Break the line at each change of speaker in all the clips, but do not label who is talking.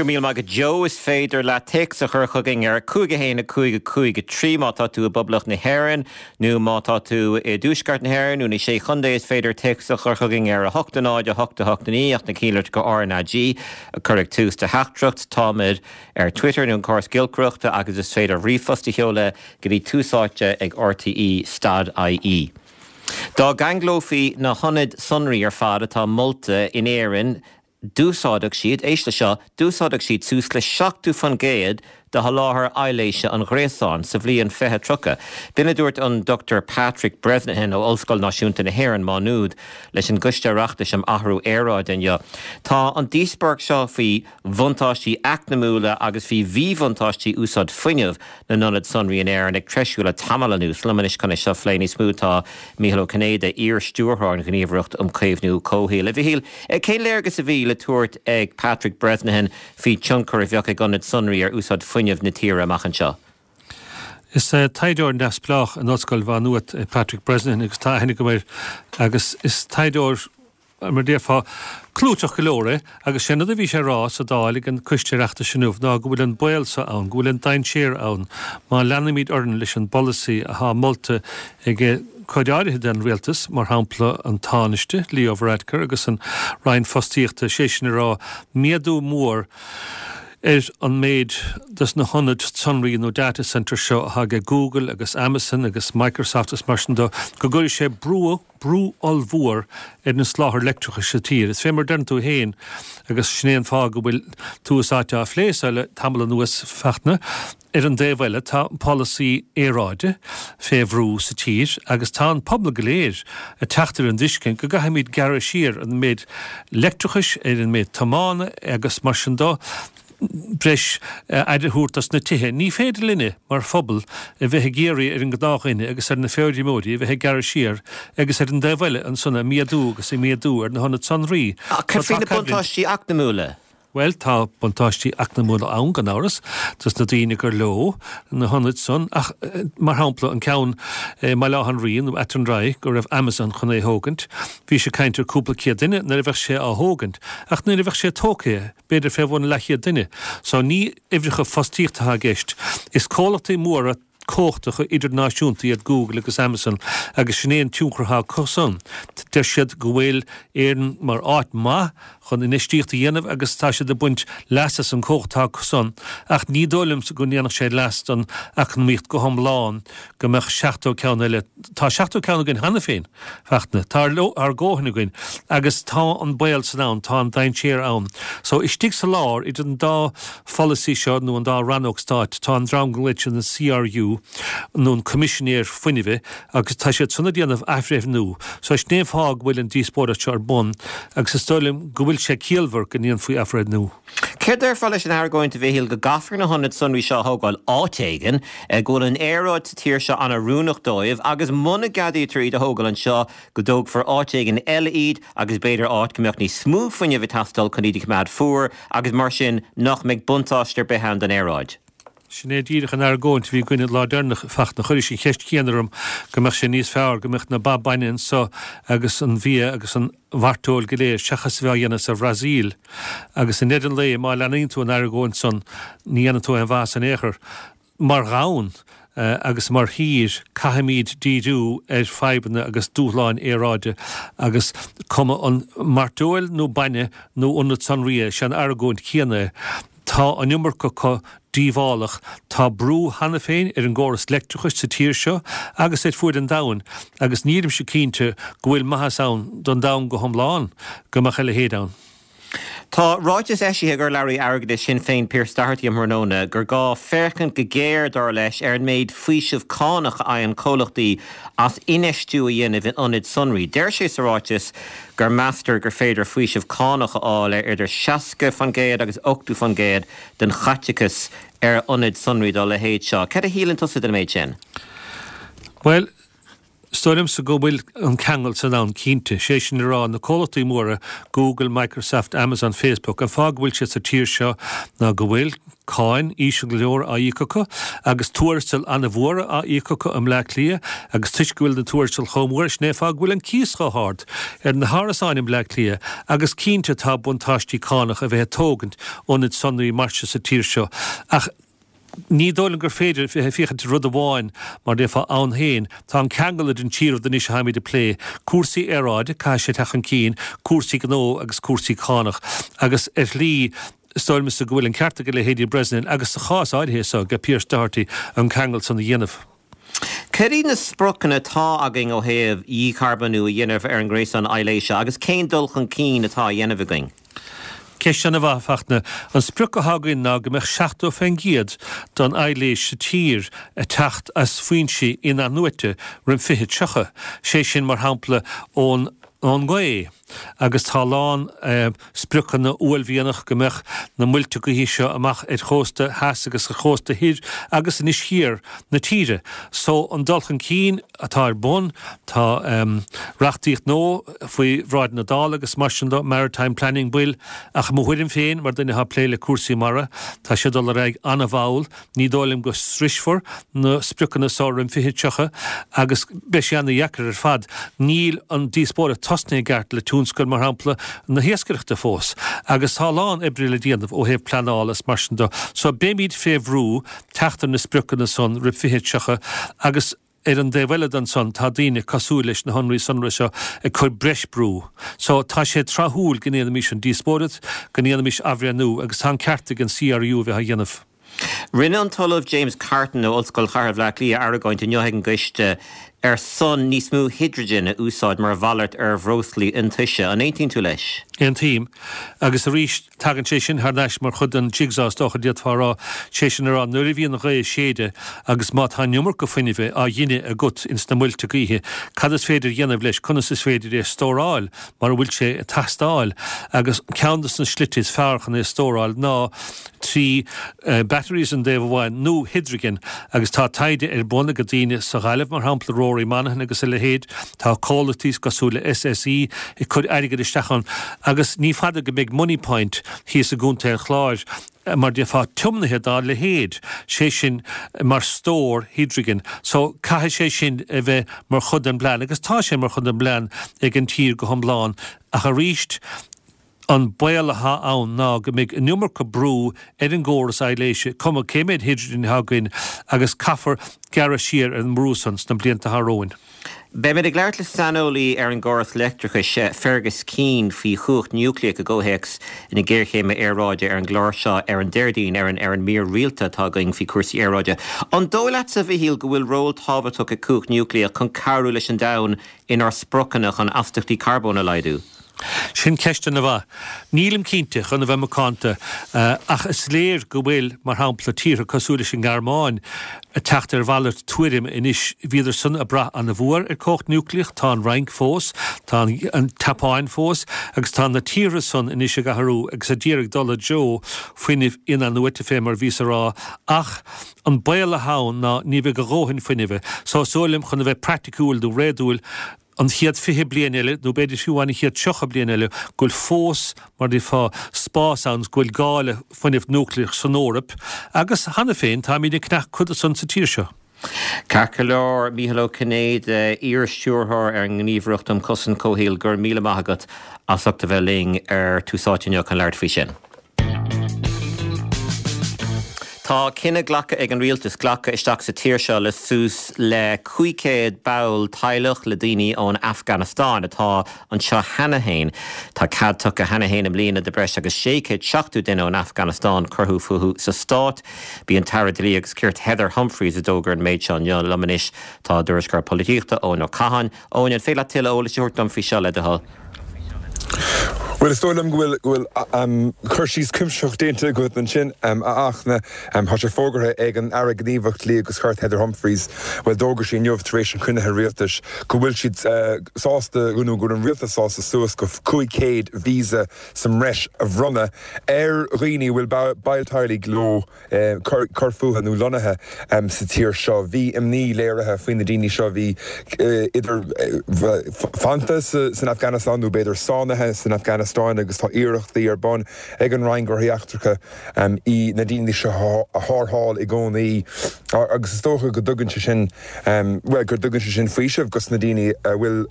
Go raibh míle maith agat Joe. Is féidir leat téacs a chur chugainn ar 5 1 5 5 3 má tá tú i bPoblacht na hÉireann nó má tá tú i dTuaisceart na hÉireann nó na Sé Chontae is féidir téacs a chur chugainn ar 8 0 8 8 9 ach na cinnlitreacha RnaG a chur ag tús do theachtaireacht. Táimid ar Twitter nó an córas giolcaireachta agus is féidir ríomhphost a sheoladh go dtí túsáite ag rte stad ie. Dá gceanglófaí na hionaid sonraí ar fad atá molta in Éirinn, d'úsáidfeadh siad, éist le seo, d'úsáidfeadh siad suas le 70% de sholáthar aibhléise an ghréasáin sa bhliain 2030. B'in a dúirt an Dr Patrick Bresnihan ó Ollscoil Náisiúnta na hÉireann, Má Nuad, leis an gCoiste Oireachtais um Athrú Aeráide inniu. Tá an díospóireacht seo faoi bhuntáistí eacnamúla agus faoi mhíbhuntáistí úsáid fuinnimh na n-ionad sonraí in Éirinn ag treisiú le tamall anuas. Liom anois chun é seo a phlé níos mó tá Mícheál Ó Cinnéide, iar-stiúrthóir an Ghníomhaireacht um Chaomhnú Comhshaoil. A Mhichíl, cén léargas a bhí le tabhairt ag Patrick Bresnihan faoin tionchar a bheadh ag ionaid sonraí ar úsáid fuinnimh na tíre amach anseo?
Is taighdeoir neamhspleách in Ollscoil Mhá Nuat é Patrick Bresnihan agus tá aithne agam air agus is taighdeoir mar a déarfá, clúiteach go leor é, agus sé an rud a bhí sé a rá sa Dáil ag an Coiste Oireachtais inniu ná go bhfuil an baol so ann, go bhfuil an dainséar ann má leanaimid orainn leis an bpolasaí athá molta ag cuid áirithe den Rialtas, mar shampla an Tánaiste, Leo Varadkar agus an Roinn Fostaíochta, sé sin a rá méadú mór ar an méid dos na hionaid sonraí nó data centres seo athá ag Google agus Amazon agus Microsoft is mar sin do, go gcuirfidh sé brú. brú ollmhór ar an soláthar leictreachais sa tír. Is fé mar a deireann tú féin, agus sin é an fáth go bhfuil Tús Áite á phlé so le tamall anuas, Fachtna, ar an dtaobh eile tá an polasaí aeráide fé bhrú sa tír agus tá an pobal go léir ag teacht ar an dtuiscint go gcaithfimid gearradh siar ar an méid leictreachais, ar an méid tiomána agus mar sin do. breis aire a thabhairt dos na tithe. Ní féidir linne, mar phobal, a bheith ag iarraidh ar an ngnáthdhuine agus ar na feirmeoirí a bheith ag gearradh siar agus ar an dtaobh eile ansan ag méadú agus ag méadú ar na hionaid sonraí.
Ach cad faoi na buntáistí eacnamúla?
Bhuel, tá buntáistí eacnamúla ann, gan amhras, dos na daoine gur leo na hionaid san ach, mar shampla, an ceann i mBaile Átha an Rí nó Athenry go raibh Amazon chun é a thógaint, bhí sé ag caint ar cúpla céad duine nuair a bheadh sé á thógaint ach nuair a bheadh sé tógtha, b'fhéidir fé bhun leathchéad duine. So ní uimhreacha fostaíochta atá i gceist. Is comhlachtaí móra cumhachtacha idirnáisiúnta iad Google agus Amazon agus sin é an tionchar atá acu san. Deir siad go bhfuil Éirinn mar áit maith chun infheistíocht a dhéanamh agus tá siad ag baint leas as an cumhacht atá acu san ach ní dóigh liomsa go ndéanfadh sé leas don eacnamaíocht go hiomlán go mbeadh 70 ceann eile. Tá 70 ceann againn cheana féin. Fachtna. Tá ár ndóthain againn agus tá an baol san ann, tá an dainséar ann. So, istigh sa lár, idir an dá pholasaí seo nó an dá rannóg stáit, tá an dream go nglaoitear an CRU nó an Coimisinéir Fuinnimh agus tá siad san ag déanamh athbhreithniú. So, sin é an fáth go bhfuil an díospóireacht seo ar bun agus is dóigh liom go bhfuil sé ciallmhar go ndéanfaí athbhreithniú.
Céard a déarfá leis an argóint, a Mhichíl, go gcaithfear na hionaid sonraí seo a thógáil áit éigin, go bhfuil an aeráid sa tír seo an-oiriúnach dóibh agus muna gceadaítear iad a thógáil anseo, go dtógfar áit éigin eile iad agus b'fhéidir áit go mbeadh níos mó fuinnimh ag teastáil chun iad a choimeád fuar agus mar sin nach mbeidh buntáiste ar bith ann don aeráid?
Sin é díreach an argóint a bhí againn an lá deireanach, Fachtna. Chuiris an cheist chéanna orm, go mbeadh sé níos fearr go mbeadh na ba bainne anso agus an bia agus an mhairteoil go léir seachas a bheith á dhéanamh sa Bhrasaíl. Agus i ndeireadh an lae, má leanaíonn tú an argóint san, ní dhéanann tú aon mhaitheas in aon chor. Mar dhomhan agus mar thír, caithfimid díriú ar fadhbanna agus dúshláin aeráide agus cuma an mairteoil nó bainne nó ionad sonraí é, sé an argóint chéanna é. Tá an iomarca acu díobhálach. Tá brú cheana féin ar an gcóras leictreachais sa tír seo agus ar fuaid an domhain agus nílimse cinnte go bhfuil maitheas ann don domhan go hiomlán go mbeadh a leithéid ann.
Tá ráiteas eisithe ag urlabhraí airgeadais Shinn Féin Pearse Doherty um thráthnóna gur gá féachaint go géar, dar leis, ar an méid faoiseamh cánach a fhaigheann comhlachtaí as infheistiú a dhéanamh in ionaid sonraí. Deir sé sa ráiteas gur meastar gur féidir faoiseamh cánach a fháil ar idir 60% agus 80% den chaiteachas ar ionaid sonraí dá leithéid seo. Cad a shíleann tusa den méid sin?
Bhuel, Is dóigh liomsa go bhfuil an ceangal san ann, cinnte. Sé sin le rá, na comhlachtaí móra, Google, Microsoft, Amazon, Facebook, an fáth go bhfuil siad sa tír seo ná go bhfuil cáin íseal go leor á íoc acu agus tuarastail an-mhóra á íoc acu i mBleá Cliath agus toisc go bhfuil na tuarastail chomh mór, sin é an fáth go bhfuil an cíos chomh hard ar na hárasáin i mBleá Cliath agus cinnte tá buntáistí cánach a bheith ag tógaint ionaid sonraí mar seo sa tír seo ach Ní dóigh liom gur féidir bheith ag féachaint ar rud amháin mar déarfá ann féin. Tá an ceangal idir an trí rud anois a tháimid ag plé, cúrsaí aeráide, caithfidh sé teacht chun cinn, cúrsaí gnó agus cúrsaí cánach. Agus ar shlí, is dóigh liomsa go bhfuil an ceart ag leithéidí Bresnahan agus sa chás áirithe so ag Pearse Doherty an ceangal san a dhéanamh.
Cad iad na spriocanna atá againn ó thaobh dhícharbónú a dhéanamh ar an ngréasán aibhléise agus cén dul chun cinn atá á dhéanamh againn?
Ceist an-mhaith, a Fachtna. An sprioc atá againn ná go mbeadh 70% den aibhléis sa tír ag teacht as foinsí in-athnuaite roimh 2030, sé sin, mar shampla, ón ngaoth. Agus tá a lán spriocanna uaillmhianach go mbeadh na muilte gaoithe seo amach ar chósta theas agus ar chósta thoir agus anois thiar na tíre. So an dul chun cinn atá ar bun, tá reachtaíocht nua faoi bhráid na Dála agus mar sin de, Maritime Planning Bill, ach i mo thuairim féin, mar duine atá ag plé le cúrsaí mara, tá sé ag dul ar aghaidh an-mhall. Ní dóigh liom go sroisfear na spriocanna so roimh 2030 agus beidh sé ana-dheacair ar fad. Níl an díospóireacht tosnaithe i gceart le tionscal, mar shampla, na hiascaireachta fós agus tá a lán oibre le déanamh ó thaobh pleanála is mar sin de. So beimid fé bhrú teacht ar na spriocanna san roimh 2030 agus Ar an dtaobh eile de ansan tá daoine cosúil leis na hionraí sonraí seo ag cur breis brú. So tá sé tráthúil go ndéanfaimis an díospóireacht, go ndéanfaimis athbhreithniú agus tá an ceart ag an CRU a bheith á dhéanamh.
Rinne an tOllamh James Carton ó Ollscoil Chathair Bhaile Átha Cliath argóint inniu ag an gcoiste ar son níos mó hidrigine a úsáid mar mhalairt ar bhreoslaí iontaise. An aontaíonn tú leis?
Aontaím. Agus arís, Tagann sé sin thar n-ais mar chuid den jigsaw is dócha, d'fhéadfá a rá, sé sin a rá nuair a bhíonn an ghaoth ag séideadh agus má tá an iomarca fuinnimh á ghineadh agat ins na muilte gaoithe, cad is féidir a dhéanamh leis, conas is féidir é a stóráil mar a bhfuil sé ag teastáil agus ceann de na slite is fearr chun é a stóráil ná trí batteries an taobh amháin nó hidrigin agus tá taighde ar bun ag daoine sa Ghaillimh mar shampla, Rory Monaghan agus a leithéid, tá comhlachtaí cosúil le SSE ag cur airgid isteach ann agus ní fada go mbeidh Moneypoint thíos i gContae an Chláir mar déarfá tiomnaithe dá leithéid, sé sin mar stór hidrigin. So caithfidh sé sin a bheith mar chuid den bplean agus tá sé mar chuid den bplean ag an tír go hiomlán ach arís, An baol atá ann ná go mbeidh an iomarca brú ar an gcóras aibhléise, cuma cé méid hidrigin atá againn, agus caithfear gearradh siar ar an mbrú san sna blianta atá romhainn.
Beimid ag labhairt le saineolaí ar an gcóras leictreachais, Fergus Keane, faoi chumhacht núicléach i gcomhthéacs na géarchéime aeráide ar an gclár seo ar an Déardaoin ar an ar an mír rialta atá againn faoi chúrsaí aeráide. An dóigh leatsa, a Mhichíl, go bhfuil ról tábhachtach ag cumhacht núicléach chun cabhrú leis an domhan inár spriocanna chun astaíochtaí carbóin a laghdú?
Sin ceist ana-mhaith. Nílim cinnte, chun a bheith macánta, ach is léir go bhfuil, mar shampla, tíortha cosúil leis an nGearmáin ag teacht ar mhalairt tuairime anois. Bhíodar san ag brath ana-mhór ar cumhacht núicléach, tá an Fhrainc fós, tá an tSeapáin fós, agus tá na tíortha san anois ag athrú agus ag iarraidh dul i dtreo fuinnimh in-athnuaite, fé mar a bhíos a rá, ach an baol atá ann ná ní bheidh a dhóthain fuinnimh. So is dóigh liom, chun a bheith praiticiúil nó réadúil, an chéad 20 bliain eile, nó b'fhéidir fiú amháin an chéad 30 bliain eile, go bhfuil fós, mar a déarfá, spás ann, go bhfuil gá le fuinneamh núicléach san Eoraip, agus cheana féin táimid ag ceannach cuid de san sa tír seo.
Ceart go leor, Mícheál Ó Cinnéide, iar-stiúrthóir ar an nGníomhaireacht um Chosaint Comhshaoil, go raibh míle maith agat as ucht a bheith linn ar Tús Áite inniu chun labhairt faoi sin. Tá cinneadh glactha ag an rialtas glacadh isteach sa tír seo le suas le 500 ball teaghlach le daoine ón Afganastáin atá anseo cheana féin. Tá cead tugtha cheana féin i mbliana do breis agus 670 duine ón Afganastáin cur fúthu sa stát. B'í an tAire Dlí agus Cirt Heather Humphreys a d'fhógair an méid seo inniu. Liom anois tá ár dtuairisceoir polaitíochta Eoin Ó Catháin. Eoin, an féidir leat tuilleadh eolais a thabhairt dom faoi seo, le do thoil?
Bhuel, is dóigh liom go bhfuil, go bhfuil cur síos cuimsitheach déanta agat ansin, a Fhachtna. Tá sé fógartha ag an Aire Gníomhach Dlí agus Cirt Heather Humphreys, bhuel, d'fhógair sí inniu tar éis an chruinnithe rialtais go bhfuil siad sásta, nó go bhfuil an rialtas sásta suas go 500 víosa sa mbreis a bhronnadh ar dhaoine a bhfuil baill teaghlaigh leo cur fúthu nó lonnaithe sa tír seo. Bhí imní léirithe faoi na daoine seo a bhí idir fanta san Afganastáin nó b'fhéidir sáinnithe san Afganastáin agus tá iarrachtaí ar bun ag an Roinn Gnóthaí Eachtracha na daoine seo a tharrtháil i gcónaí agus is dócha go dtugann sé sin, bhuel, go dtugann sé sin faoiseamh dos na daoine a bhfuil,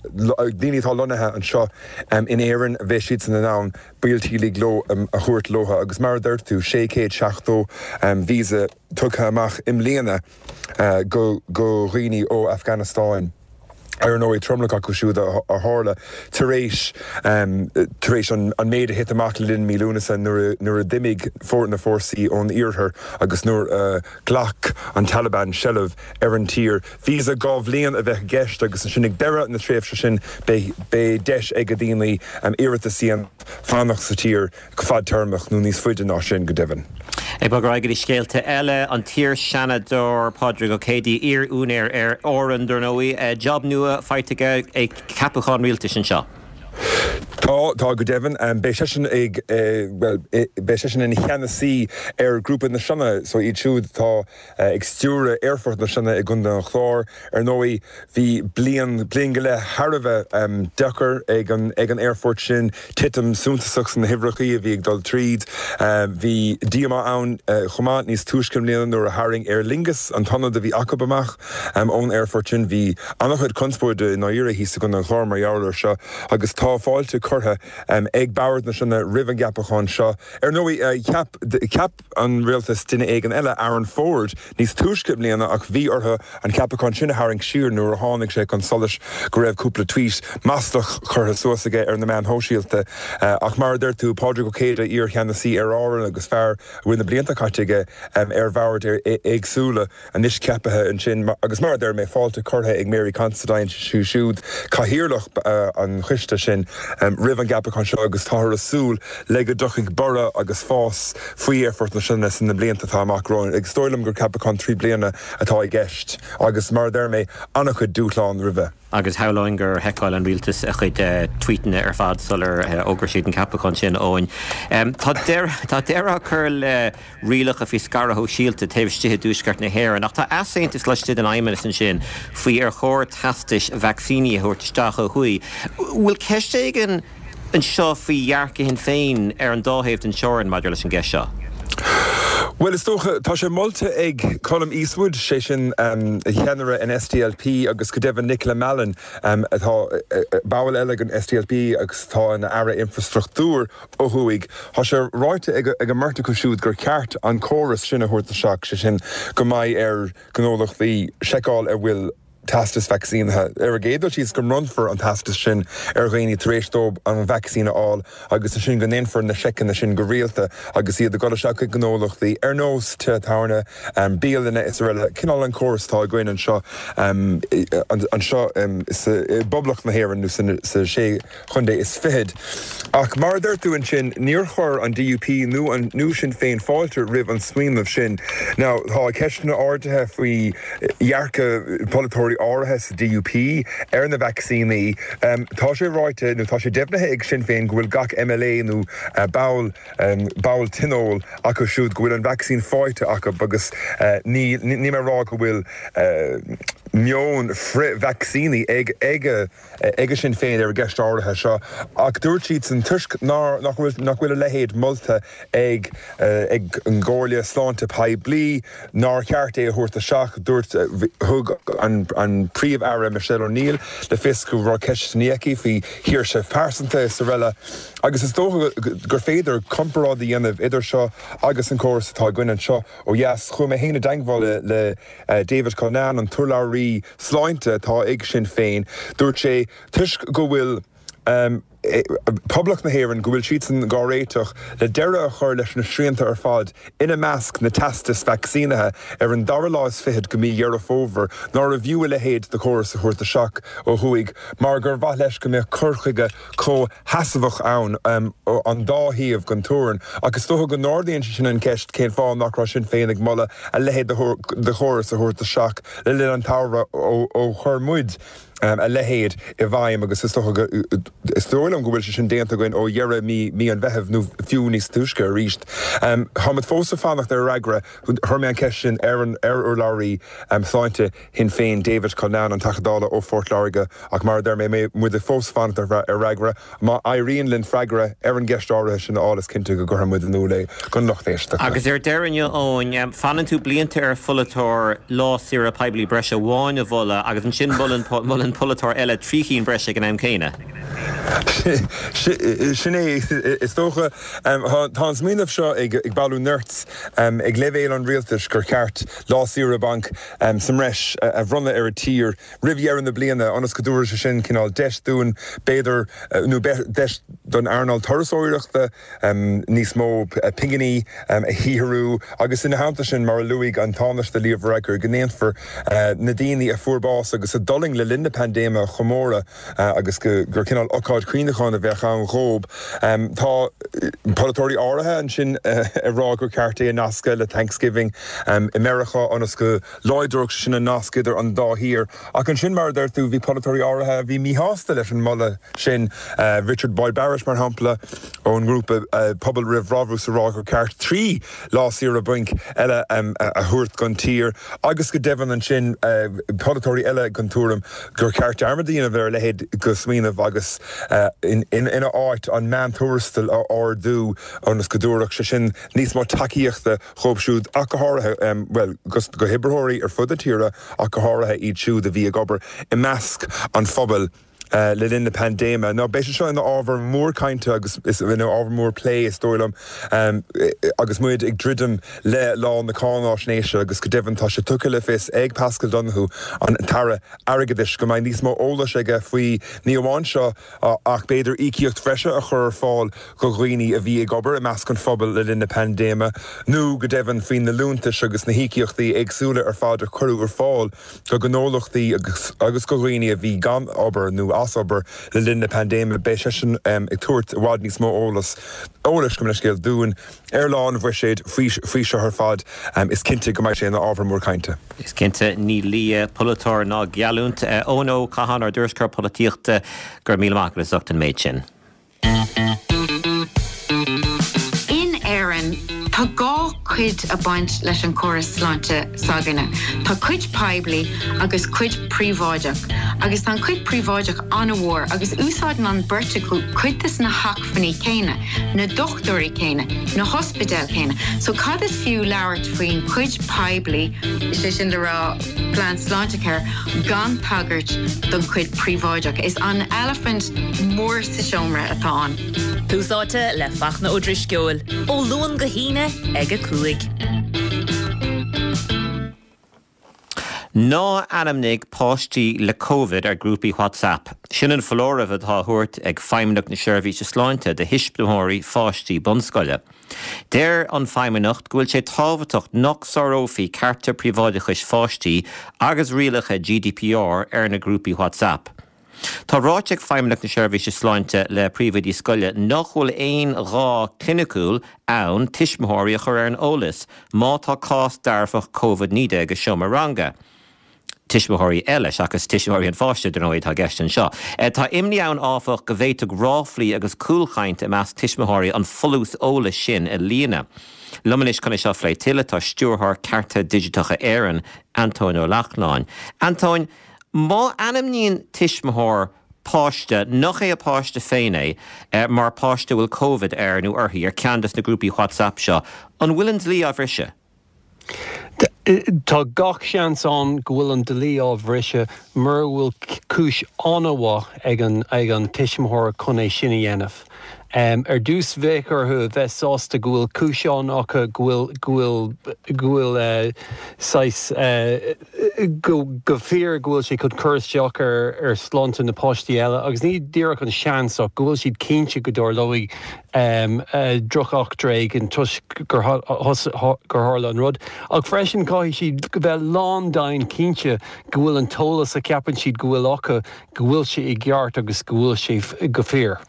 daoine atá lonnaithe anseo in Éirinn, bheidh siadsan in ann baill teaghlaigh leo a thabhairt leo agus mar a dúirt tú, 670 víosa tugtha amach i mbliana go dhaoine ó Afganastáin. Ar ndóigh, tromlach acu siúd a tharla tar éis tar éis an méid a thit amach le linn mí Lúnasa nuair a d'imigh na fórsaí ón iarthar agus nuair a ghlac an Taliban seilbh ar an tír. Víosa 2 bhliain a bheadh i gceist agus ansin ag deireadh na tréimhse sin beidh deis ag daoine iarratas a dhéanamh fanacht sa tír go fadtéarmach nó níos faide ná sin go deimhin.
Ag bogadh ar aghaidh go dtí scéalta eile, an t-iar-Sheanadóir Pádraig Ó Céidigh, iar-úinéir Aer Árann dar ndóigh, job nua faighte aige ag ceapachán rialtais anseo.
Tá, tá go deimhin. Beidh seisean ag, bhuel, beidh seisean ina cheannasaí ar Ghrúpa na Sionna, so iad siúd atá ag stiúradh Aerfort na Sionna i gContae an Chláir. Ar ndóigh, bhí bliain, bliain go leith thar a bheith deacair ag an, ag an aerfort sin, titim suntasach sna huimhreachaí a bhí ag dul tríd. Bhí díomá ann chomh maith níos túisce i mbliana nuair a tharraing Aer Lingus an t-ionad a bhí acu amach. Ón aerfort sin bhí an-chuid conspóide i ndáiríre thíos i gContae an Chláir mar gheall air seo agus tá fáilte curtha ag Bord na Sionna roimh an gceapachán seo. Ar ndóigh, cheap cheap an rialtas duine éigin eile, Aaron Ford, níos túisce i mbliana ach bhí orthu an ceapachán sin a tharraingt siar nuair a tháinig sé chun solais go raibh cúpla tweet maslach curtha suas aige ar na meáin shóisialta. Ach mar a deir tú, Pádraig Ó Céide, iar-cheannasaí Aer Árann agus fear a bhfuil na blianta caite aige ar bhoird éagsúla, anois ceapaithe ansin agus mar a deir mé, fáilte curtha ag Mary Considine, siúd cathaoirleach an choiste sin, roimh an gceapachán seo agus táthar ag súil le go dtiocfaidh borradh agus fás faoi Aerfort na Sionna sna blianta atá amach romhainn. Is dóigh liom gur ceapachán 3 bliana atá i gceist agus mar a deir mé, an-chuid dúshlán roimhe.
Agus shamhlóinn gur sheiceáil an rialtas a chuid tweetanna ar fad sular fhógair siad an ceapachán sin, Eoin. Tá deireadh á cur le rialacha faoi scaradh shóisialta taobh istigh i dtuaisceart na hÉireann ach tá easaontas laistigh den Fheidhmeannas ansin faoi ar chóir teastais vacsaíní a thabhairt isteach ó thuaidh. Bhfuil ceist éigin anseo faoi dhearcadh Shinn Féin ar an dá thaobh den teorainn maidir leis an gceist seo?
Bhuel, is dócha, tá sé molta ag Colum Eastwood, sé sin ceannaire an SDLP agus go deimhin Nicola Mallon atá ball eile den SDLP agus atá ina Aire Infreastruchtúir ó thuaidh. Tá sé ráite ag an mbeirt acu siúd gur cheart an córas sin a thabhairt isteach, sé sin go mbeidh ar ghnólachtaí seiceáil an bhfuil teastas vacsaínithe. Ar an gcéad dul síos, go mbronnfar an teastas sin ar dhaoine tar éis dóibh an vacsaín a fháil agus ansin go ndéanfar na seiceanna sin go rialta agus iad ag dul isteach chuig gnólachtaí ar nós tithe tábhairne, bialanna is araile. Cineál an córas atá againn anseo anseo i bPoblacht na hÉireann nó sa sé chontae is fichead. Ach mar a deir tú ansin, níor chuir an DUP nó an nó Sinn Féin fáilte roimh an smaoineamh sin. Now, tá ceisteanna ardaithe faoi dhearcadh polaiteoirí áirithe sa DUP ar na vacsaíní. Tá sé ráite, nó tá sé deimhnithe ag Sinn Féin go bhfuil gach MLA nó ball ball tionóil acu siúd go bhfuil an vacsaín faighte acu agus ní níl mé ag rá go bhfuil meon frith-vacsaíní ag ag ag Sinn Féin ar an gceist áirithe seo ach dúirt siadsan toisc nár nach bhfuil nach bhfuil a leithéid molta ag ag an gComhairle Sláinte Poiblí nár cheart é a thabhairt isteach. Dúirt thug an an Príomh-Aire Michelle O'Neill le fios go raibh ceisteanna aici faoi shaoirse phearsanta is araile agus is dócha gur féidir comparáid a dhéanamh idir seo agus an córas atá againn anseo ó dheas. Chuaigh mé féin i dteagmháil le le David Cullinane, an t-urlabhraí sláinte atá ag Sinn Féin, dúirt sé, toisc go bhfuil. Poblacht na hÉireann go bhfuil siadsan dhá réiteach le deireadh a chur leis na srianta ar fad, ina measc na teastais vacsaínithe, ar an dara lá is fichead de mhí Dheireadh Fómhair, nárbh fhiú a leithéid de chóras a thabhairt isteach ó thuaidh mar gur mhaith leis go mbeadh cur chuige comhsheasmhach ann an dá thaobh den teorainn. Ach is dócha go n-ardaíonn sé sin an cheist cén fáth nach raibh Sinn Féin ag moladh a leithéid de chóras a thabhairt isteach le linn an tsamhraidh ó chuir muid a leithéid i bhfeidhm agus is dócha go, is dóigh liom go bhfuil sé sin déanta againn ó dheireadh mí, mí an Mheithimh nó fiú níos túisce arís. Táimid fós ag fanacht ar fhreagra, chuir mé an cheist sin ar an, ar urlabhraí sláinte Shinn Féin, David Cullinane, an Teachta Dála ó Phort Láirge ach mar a deir mé, muid fós ag fanacht ar fhreagra. Má éiríonn linn freagra ar an gceist áirithe sin a fháil is cinnte go gcuirfidh muid in iúl é don lucht éisteachta.
Agus ar deireadh inniu, Eoin, fanann tú blianta ar pholaiteoir lá saoire poiblí breise amháin a mholadh agus ansin molann molann polaiteoir eile 3 chinn breise ag an am céanna.
Sin é, is dócha. Tá an smaoineamh seo ag bailiú nirt ag leibhéal an rialtais gur cheart lá saoire bainc sa mbreis a bhronnadh ar an tír. roimh dheireadh na bliana ionas go dtabharfaidh sé sin cineál deis dúinn, b'fhéidir, nó deis don earnáil turasóireachta níos mó pinginí a shaothrú agus ina theannta sin, mar a luaigh an Tánaiste Leo Varadkar, go ndéanfar na daoine a fuair bás agus a d'fhulaing le linn na paindéime a chomóradh agus gur cineál ocáid chuimhneacháin a bheadh ann dhóibh. Tá polaiteoirí áirithe ansin ag rá gur ceart é a nascadh le Thanksgiving i Meiriceá ionas go Láidreodh sé sin an nasc idir an dá thír. Ach ansin, mar a deir tú, bhí polaiteoirí áirithe a bhí míshásta leis an moladh sin, Richard Boyd Barrett, mar shampla, ón ngrúpa Pobal Roimh Bhrabús ag rá gur ceart 3 lá saoire bainc eile a thabhairt don tír agus go deimhin ansin polaiteoirí eile den tuairim gur ceart dearmad a dhéanamh ar a leithéid de smaoineamh agus ina áit an meántuarastal a ardú ionas go dtabharfadh sé sin níos mó tacaíochta dhóibh siúd ach go háirithe, bhuel, go hoibritheoirí ar fud na tíre ach go háirithe iad siúd a bhí ag obair i measc an phobail le linn na paindéime. Now beidh sé seo ina ábhar mór cainte agus ina ábhar mór plé, is dóigh liom, agus muid ag druidim le Lá na Cáináisnéise agus go deimhin tá sé tugtha le fios ag Paschal Donohoe, an tAire Airgeadais, go mbeidh níos mó eolais aige faoi ní amháin seo, ach b'fhéidir íocaíocht bhreise a chur ar fáil do dhaoine a bhí ag obair i measc an phobail le linn na paindéime, nó go deimhin faoi na liúntais agus na híocaíochtaí éagsúla ar fad a cuireadh ar fáil do ghnólachtaí agus do dhaoine a bhí gan obair nó as obair le linn na paindéime. Beidh seisean ag tabhairt i bhfad níos mó eolais, gabh mo leithscéal, dúinn Ar lá an Bhuiséid faoi seo ar fad, is cinnte go mbeidh sé ina ábhar mór cainte.
Is cinnte, ní lia polaiteoir ná geallúint. Eoin Ó Catháin, ár dtuairisceoir polaitíochta, go raibh míle maith agat as ucht an méid sin.
In Éirinn, tá dhá chuid ag baint leis an chóras sláinte s'againne. Tá cuid poiblí agus cuid príobháideach. Agus tá an chuid príobháideach an-mhór agus úsáideann an beirt acu cuid des na hacmhainní céanna. na dochtúirí céanna, na hospidéil céanna. So cad is fiú labhairt faoin chuid poiblí, sé sin le rá plean Sláintecare, gan tagairt don chuid príobháideach? Is an eilifint mór sa seomra atá ann.
Tús Áite le Fachtna Ó Drisceoil, ó Luan go hAoine ag 5.
Ná ainmnigh páistí le Covid ar grúpaí WhatsApp. Sin an foláireamh atá á thabhairt ag Feidhmeannacht na Seirbhíse Sláinte do thuismitheoirí pháistí bunscoile. Deir an Feidhmeannacht go bhfuil sé tábhachtach nach sárófaí cearta príobháideachais pháistí agus rialacha GDPR ar na grúpaí WhatsApp. Tá ráite ag Feidhmeannacht na Seirbhíse Sláinte le príomhoidí scoile nach bhfuil aon ghá cliniciúil ann tuismitheoirí a chur ar an eolas má tá cás dearfach Covid-19 i seomra ranga. Tuismitheoirí eile, seachas tuismitheoirí an pháiste, dar ndóigh, atá i gceist anseo. Tá imní ann, áfach, go bhféadfadh ráflaí agus cúlchaint i measc tuismitheoirí an folús eolais sin a líonadh. Liom anois chun é seo a phlé tuilleadh tá Stiúrthóir Cearta Digiteacha Éireann, Antóin Ó Lachtnáin. Antóin, Má ainmníonn tuismitheoir páiste, nach é a páiste féin é, mar páiste a bhfuil Covid air nó uirthi ar ceann des na grúpaí WhatsApp seo, an bhfuil an dlí á bhriseadh?
Tá gach seans ann go bhfuil an dlí á bhriseadh mura bhfuil cúis an-mhaith ag an ag an tuismitheoir chun é sin a dhéanamh. Ar dtús bheadh orthu a bheith sásta go bhfuil cúis ann acu, go bhfuil, go bhfuil, go bhfuil saghas, go, go fíor go bhfuil sé chun cur isteach ar, ar shláinte na páistí eile agus ní díreach an seans ach go bhfuil siad cinnte go dtarlóidh drocheachtra éigin toisc gur, gur tharla an rud. Ach freisin caithfidh siad bheith lándomhain cinnte go bhfuil an t-eolas a cheapann siad go bhfuil acu, go bhfuil sé i gceart agus go bhfuil sé go fíor.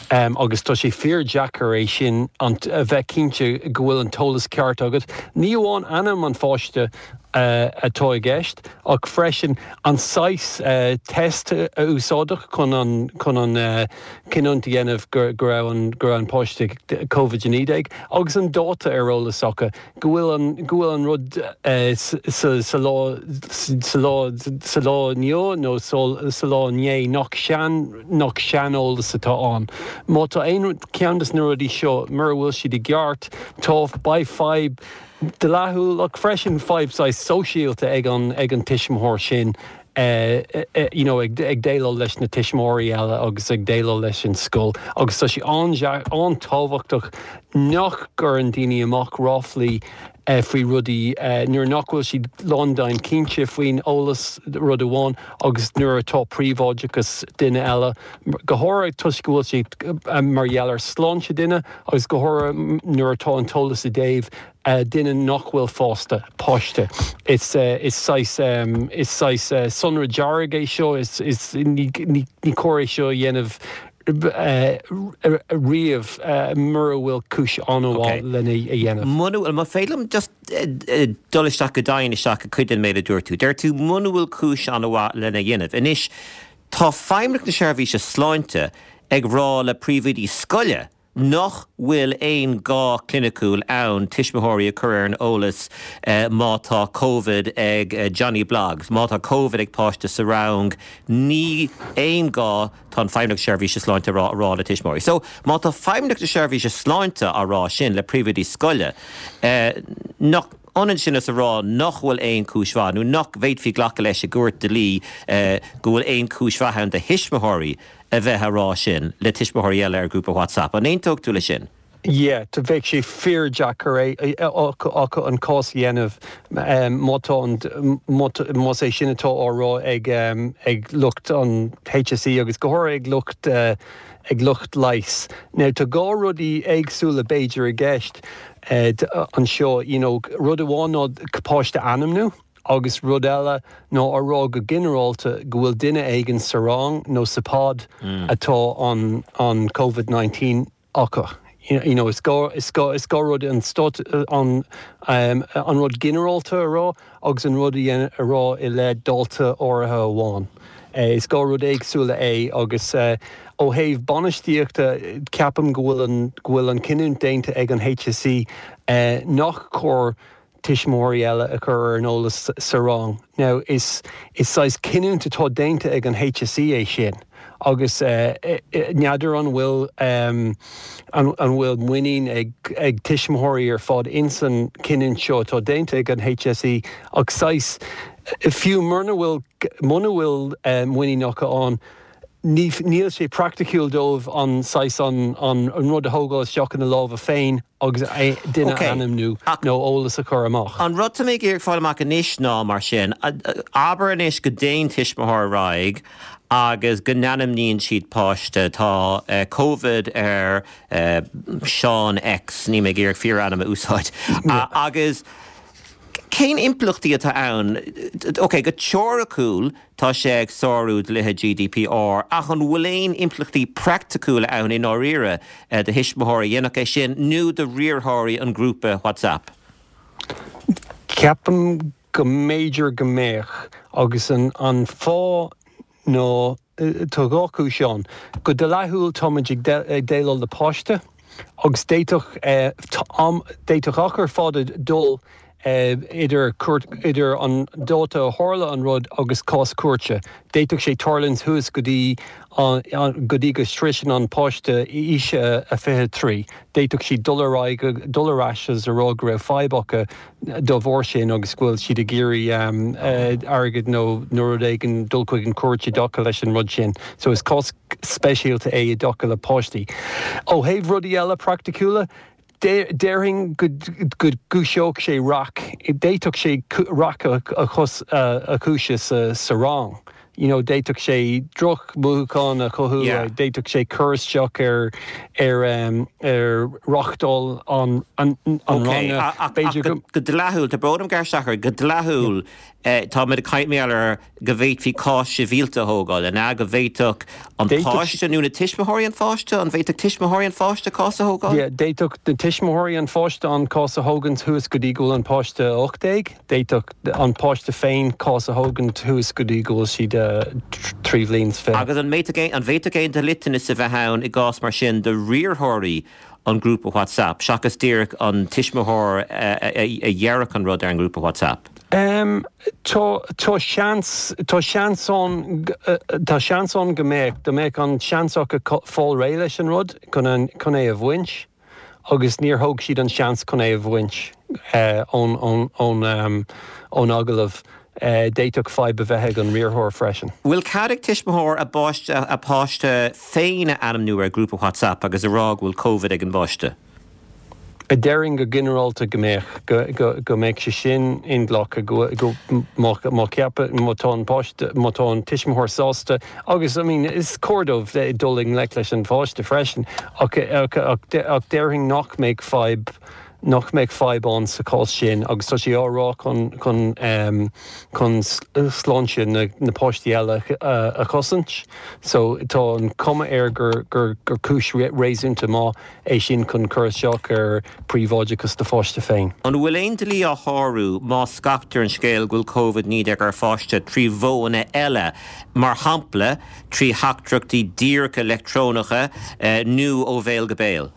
Agus tá sé fíor-deacair é sin, a bheith cinnte go bhfuil an t-eolas ceart agat. Ní amháin ainm an pháiste atá i gceist ach freisin an saghas test a úsáideadh chun an chun an cinniúint a dhéanamh go raibh an go raibh an páiste Covid-19 agus an dáta ar eolas acu. go bhfuil an, go bhfuil an rud sa, sa lá, sa lá, sa lá inniu nó sa lá inné nach sean, nach seaneolas atá ann. Má tá aon cheann de na rudaí seo, mura bhfuil siad i gceart, tá, beidh fadhb dleathúil ach freisin fadhb saghas sóisialta ag an, ag an tuismitheoir sin. you know ag déileáil leis na tuismitheoirí eile agus ag déileáil leis an scoil agus tá sé an-tábhachtach nach gcuireann daoine amach ráflaí faoi rudaí nuair nach bhfuil siad lándomhain cinnte faoin eolas, rud amháin, agus nuair atá príobháideachas duine eile, go háirithe toisc go bhfuil sé mar gheall ar sláinte duine agus go háirithe nuair atá an t-eolas i dtaobh duine nach bhfuil fásta, páiste. Is saghas, is saghas sonra dearg é seo, is, is, ní, ní cóir é seo a dhéanamh riamh mura bhfuil cúis an-mhaith lena a dhéanamh.
Muna bhfuil, má féidir liom just dul isteach go domhain isteach i cuid den méid a dúirt tú. Deir tú muna bhfuil cúis an-mhaith lena dhéanamh. Anois, tá Feidhmeannacht na Seirbhíse Sláinte ag rá le príomhoidí scoile nach bhfuil aon gá cliniciúil ann tuismitheoirí a chur ar an eolas má tá Covid ag Johnny Bloggs, má tá Covid ag páiste sa rang, ní aon gá, tá an Feidhmeannacht Seirbhíse Sláinte a rá, a rá le tuismitheoirí. So, má tá Feidhmeannacht na Seirbhíse Sláinte á rá sin le príomhoidí scoile, nach ionann sin is a rá nach bhfuil aon chúis mhaith, nó nach bhféadfaí glacadh leis i gcúirt dlí go bhfuil aon chúis mhaith ann do thuismitheoirí a bheith á rá sin le tuismitheoirí eile ar ghrúpa WhatsApp. An aontódh tú leis sin?
Yeah, bheadh sé fíordheacair é acu an cás a dhéanamh má tá an, más é sin atá á rá ag ag lucht an HSE agus go háirithe ag lucht ag lucht leighis. Now tá dhá rudaí éagsúla b'fhéidir i gceist anseo, you know, rud amháin ná páiste a ainmniú, Agus rud eile ná a rá go ginearálta go bhfuil duine éigin sa rang nó sa pod atá an an Covid 19 acu. You know, is gá is gá is gá rud an stát an an rud ginearálta a rá agus an rud a a rá i leith dalta áirithe amháin. Is dhá rud éagsúla é agus ó thaobh bainistíochta ceapaim go bhfuil an go bhfuil an cinniúint déanta ag an HSE nach cóir tuismitheoirí eile a chur ar an eolas sa rang. Now is is saghas cinniúint atá déanta ag an HSE é sin agus n'fheadar an bhfuil an an bhfuil muinín ag ag tuismitheoirí ar fad ins an cinniúint seo atá déanta ag an HSE ach saghas fiú muna bhfuil muna bhfuil muinín acu ann ní níl sé praiticiúil dóibh an saghas an an rud a thógáil isteach ina lámha féin agus duine a ainmniú nó eolas a chur amach.
An rud tá mé ag iarraidh fáil amach anois ná, mar sin, abair anois go dtéann tuismitheoir ar aghaidh agus go n-ainmníonn siad páiste, tá Covid ar Seán X, níl mé ag iarraidh fíorainm a úsáid, agus cén impleachtaí atá ann? Ok, go teoiriciúil, Tá sé ag sárú dlíthe GDPR, ach an bhfuil aon impleachtaí praiticiúla ann i ndáiríre do thuismitheoirí a dhéanfadh é sin nó do riarthóirí an ghrúpa WhatsApp?
Ceapaim go mb'fhéidir go mbeadh, agus an fáth ná tá dhá chúis ann. Go dleathúil táimid ag déileáil le páiste agus d'fhéadfadh d'fhéadfadh achar fada dul. Idir cúirt, idir an dáta a tharla an rud agus cás cúirte. D'fhéadfadh sé tarlúint suas go dtí go dtí go sroiseann an páiste aois a 23. D'fhéadfadh siad dul ar aghaidh, dul ar ais agus a rá go raibh fadhb acu dá bharr sin agus go bhfuil siad ag iarraidh airgead nó nó rud éigin dul chuig an chúirt i dtaca leis an rud sin. So is cás speisialta é i dtaca le páistí. Ó thaobh rudaí eile praiticiúla, Déarfainn go gcúiseodh sé raic, d'fhéadfadh sé raic a chúiseamh sa rang. You know, d'fhéadfadh sé drochmhothúcháin a chothú, d'fhéadfadh sé cur isteach ar ar ar reáchtáil an ranga.
Ach go dleathúil, tá brón orm gearradh isteach ort, go dleathúil, táimid ag caint mar gheall ar go bhféadfaí cás sibhialta a thógáil, an ea? Go bhféadfadh an páiste nó na tuismitheoirí an pháiste, an bhféadfadh tuismitheoirí an pháiste cás a thógáil?
Yeah, d'fhéadfadh na tuismitheoirí an pháiste an cás a thógaint suas go dtí go bhfuil an páiste 18. D'fhéadfadh an páiste féin cás a thógaint suas go dtí go bhfuil siad 23 bhliain.
Agus an bhféadfadh aon, an bhféadfadh aon dliteanas a bheith ann i gcás mar sin do riarthóirí an ghrúpa WhatsApp, seachas díreach an tuismitheoir a dhéarfadh an rud ar an ngrúpa WhatsApp?
Tá, tá seans, tá seans ann, tá seans ann go mbeadh, dá mbeadh an seans acu fáil réidh leis an rud chun an, chun é a bhaint agus níor thóg siad an seans chun é a bhaint ón, ón, ón, ón agallamh. D'fhéadfadh fadhb a bheith ag an riarthóir freisin.
Bhfuil cead ag tuismitheoir a bpáiste, a páiste féin a ainmniú ar ghrúpa WhatsApp agus a rá go bhfuil Covid ag an bpáiste?
Déarfainn go ginearálta go mbeadh, go mbeadh sé sin inghlactha, go, go, má, má cheapann, má tá an páiste, má tá an tuismitheoir sásta agus, I mean, is cóir dóibh dul i ngleic leis an pháiste freisin ach, ach, ach, ach déarfainn nach mbeadh fadhb, nach mbeadh fadhb ann sa chás sin agus tá sé á rá chun, chun, chun sláinte na, na páistí eile a chosaint so tá an chuma air gur, gur, gur cúis réasúnta maith é sin chun cur isteach ar príobháideachas do pháiste féin.
An bhfuil aon dlí á shárú má scaiptear an scéal go bhfuil Covid-19 ar pháiste trí mhodhanna eile, mar shampla trí theachtaireachtaí díreacha leictreonacha nó ó bhéal go béal?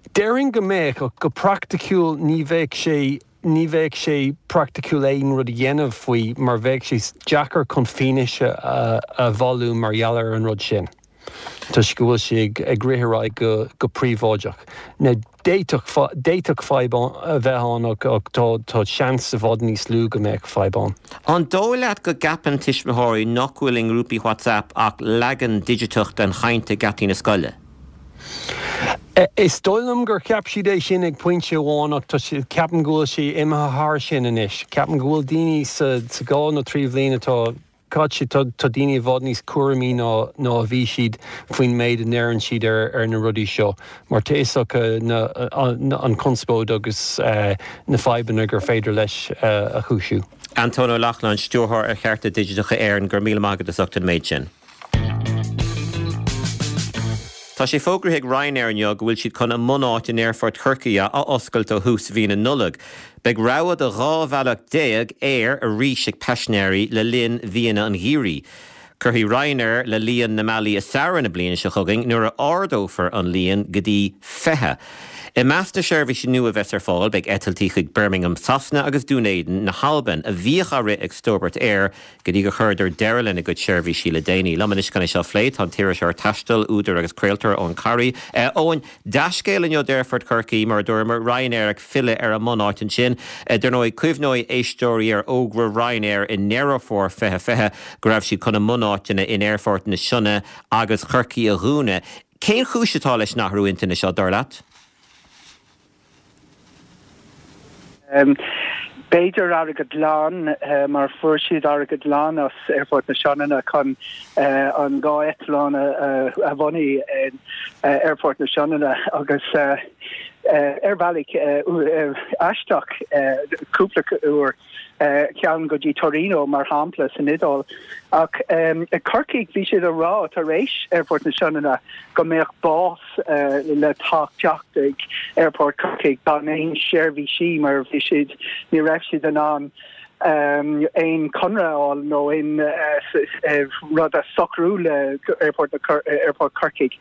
Déarfainn go mbeadh, ach go praiticiúil ní bheadh sé ní bheadh sé praiticiúil aon rud a dhéanamh faoi mar bheadh sé deacair chun fianaise a bhailiú mar gheall ar an rud sin toisc go bhfuil sé ag rith ar aghaidh go go príobháideach. Now d'fhéadfadh d'fhéadfadh fadhb a bheith ann ach ach tá tá seans i bhfad níos lú go mbeadh fadhb ann.
An dóigh leat go gceapann tuismitheoirí nach bhfuil i ngrúpaí WhatsApp ach leagan digiteach den chaint ag geataí na scoile?
Is dóigh liom gur cheap siad é sin ag pointe amháin ach tá sé, ceapaim go bhfuil sé imithe thar sin anois. Ceapaim go bhfuil daoine sa, sa dhá nó trí bhliain atá caite, tá, tá daoine i bhfad níos cúramaí ná, ná a bhí siad faoin méid a ndeireann siad ar, ar na rudaí seo mar tá fhios acu na, an, an chonspóid agus na fadhbanna gur féidir leis a chúisiú.
Antóin Ó Lochlainn, Stiúrthóir ar Chearta Digiteacha Éireann, go raibh míle maith agat as ucht an méid sin. Tá sé fógraithe ag Ryanair inniu go bhfuil siad chun a mbunáit in Aerfort Chorcaí a athoscailt ó thús mhí na Nollag. Beidh rogha de 12 bhealach aeir arís ag paisinéirí le linn mhíonna an gheimhridh. Cuirfidh Ryanair le líon na mbealaí i samhradh na bliana seo chugainn nuair a ardófar an líon go dtí 20. I measc na seirbhísí nua a bheas ar fáil beidh eitiltí chuig Birmingham Sasana agus Dún Éideann na hAlban a bhíodh á rith ag Stobart Air go dtí gur chuireadar deireadh lena gcuid seirbhísí le déanaí. Liom anois chun é seo a phlé tá an t-iriseoir taistil, údar agus craoltóir Eoin Corry. Eoin, dea-scéal inniu d'Aerfort Chorcaí, mar a dúramar, Ryanair ag filleadh ar a mbunáit ansin. Dar ndóigh, cuimhneoidh éisteoirí ar fhógra Ryanair i nDeireadh Fómhair 2020 go raibh siad chun a mbunáiteanna in Aerfort na Sionna agus Chorcaí a dhúnadh. Cén chúis atá leis an athrú intinne seo, dar leat?
B'fhéidir airgead glan, mar fuair siad airgead glan as Aerfort na Sionainne chun an dá eitleán a bhunú in Aerfort na Sionainne agus ar bhealach aisteach cúpla uair. ceann go dtí Torino, mar shampla, san Iodáil. Ach i Corcaigh, bhí siad ag rá tar éis Aerfort na Sionainne go mbeadh bás le teacht ag Aerfort Chorcaigh gan aon seirbhísí mar bhí siad, ní raibh siad in ann aon chonradh a fháil nó aon rud a socrú le Aerfort Aerfort Chorcaigh.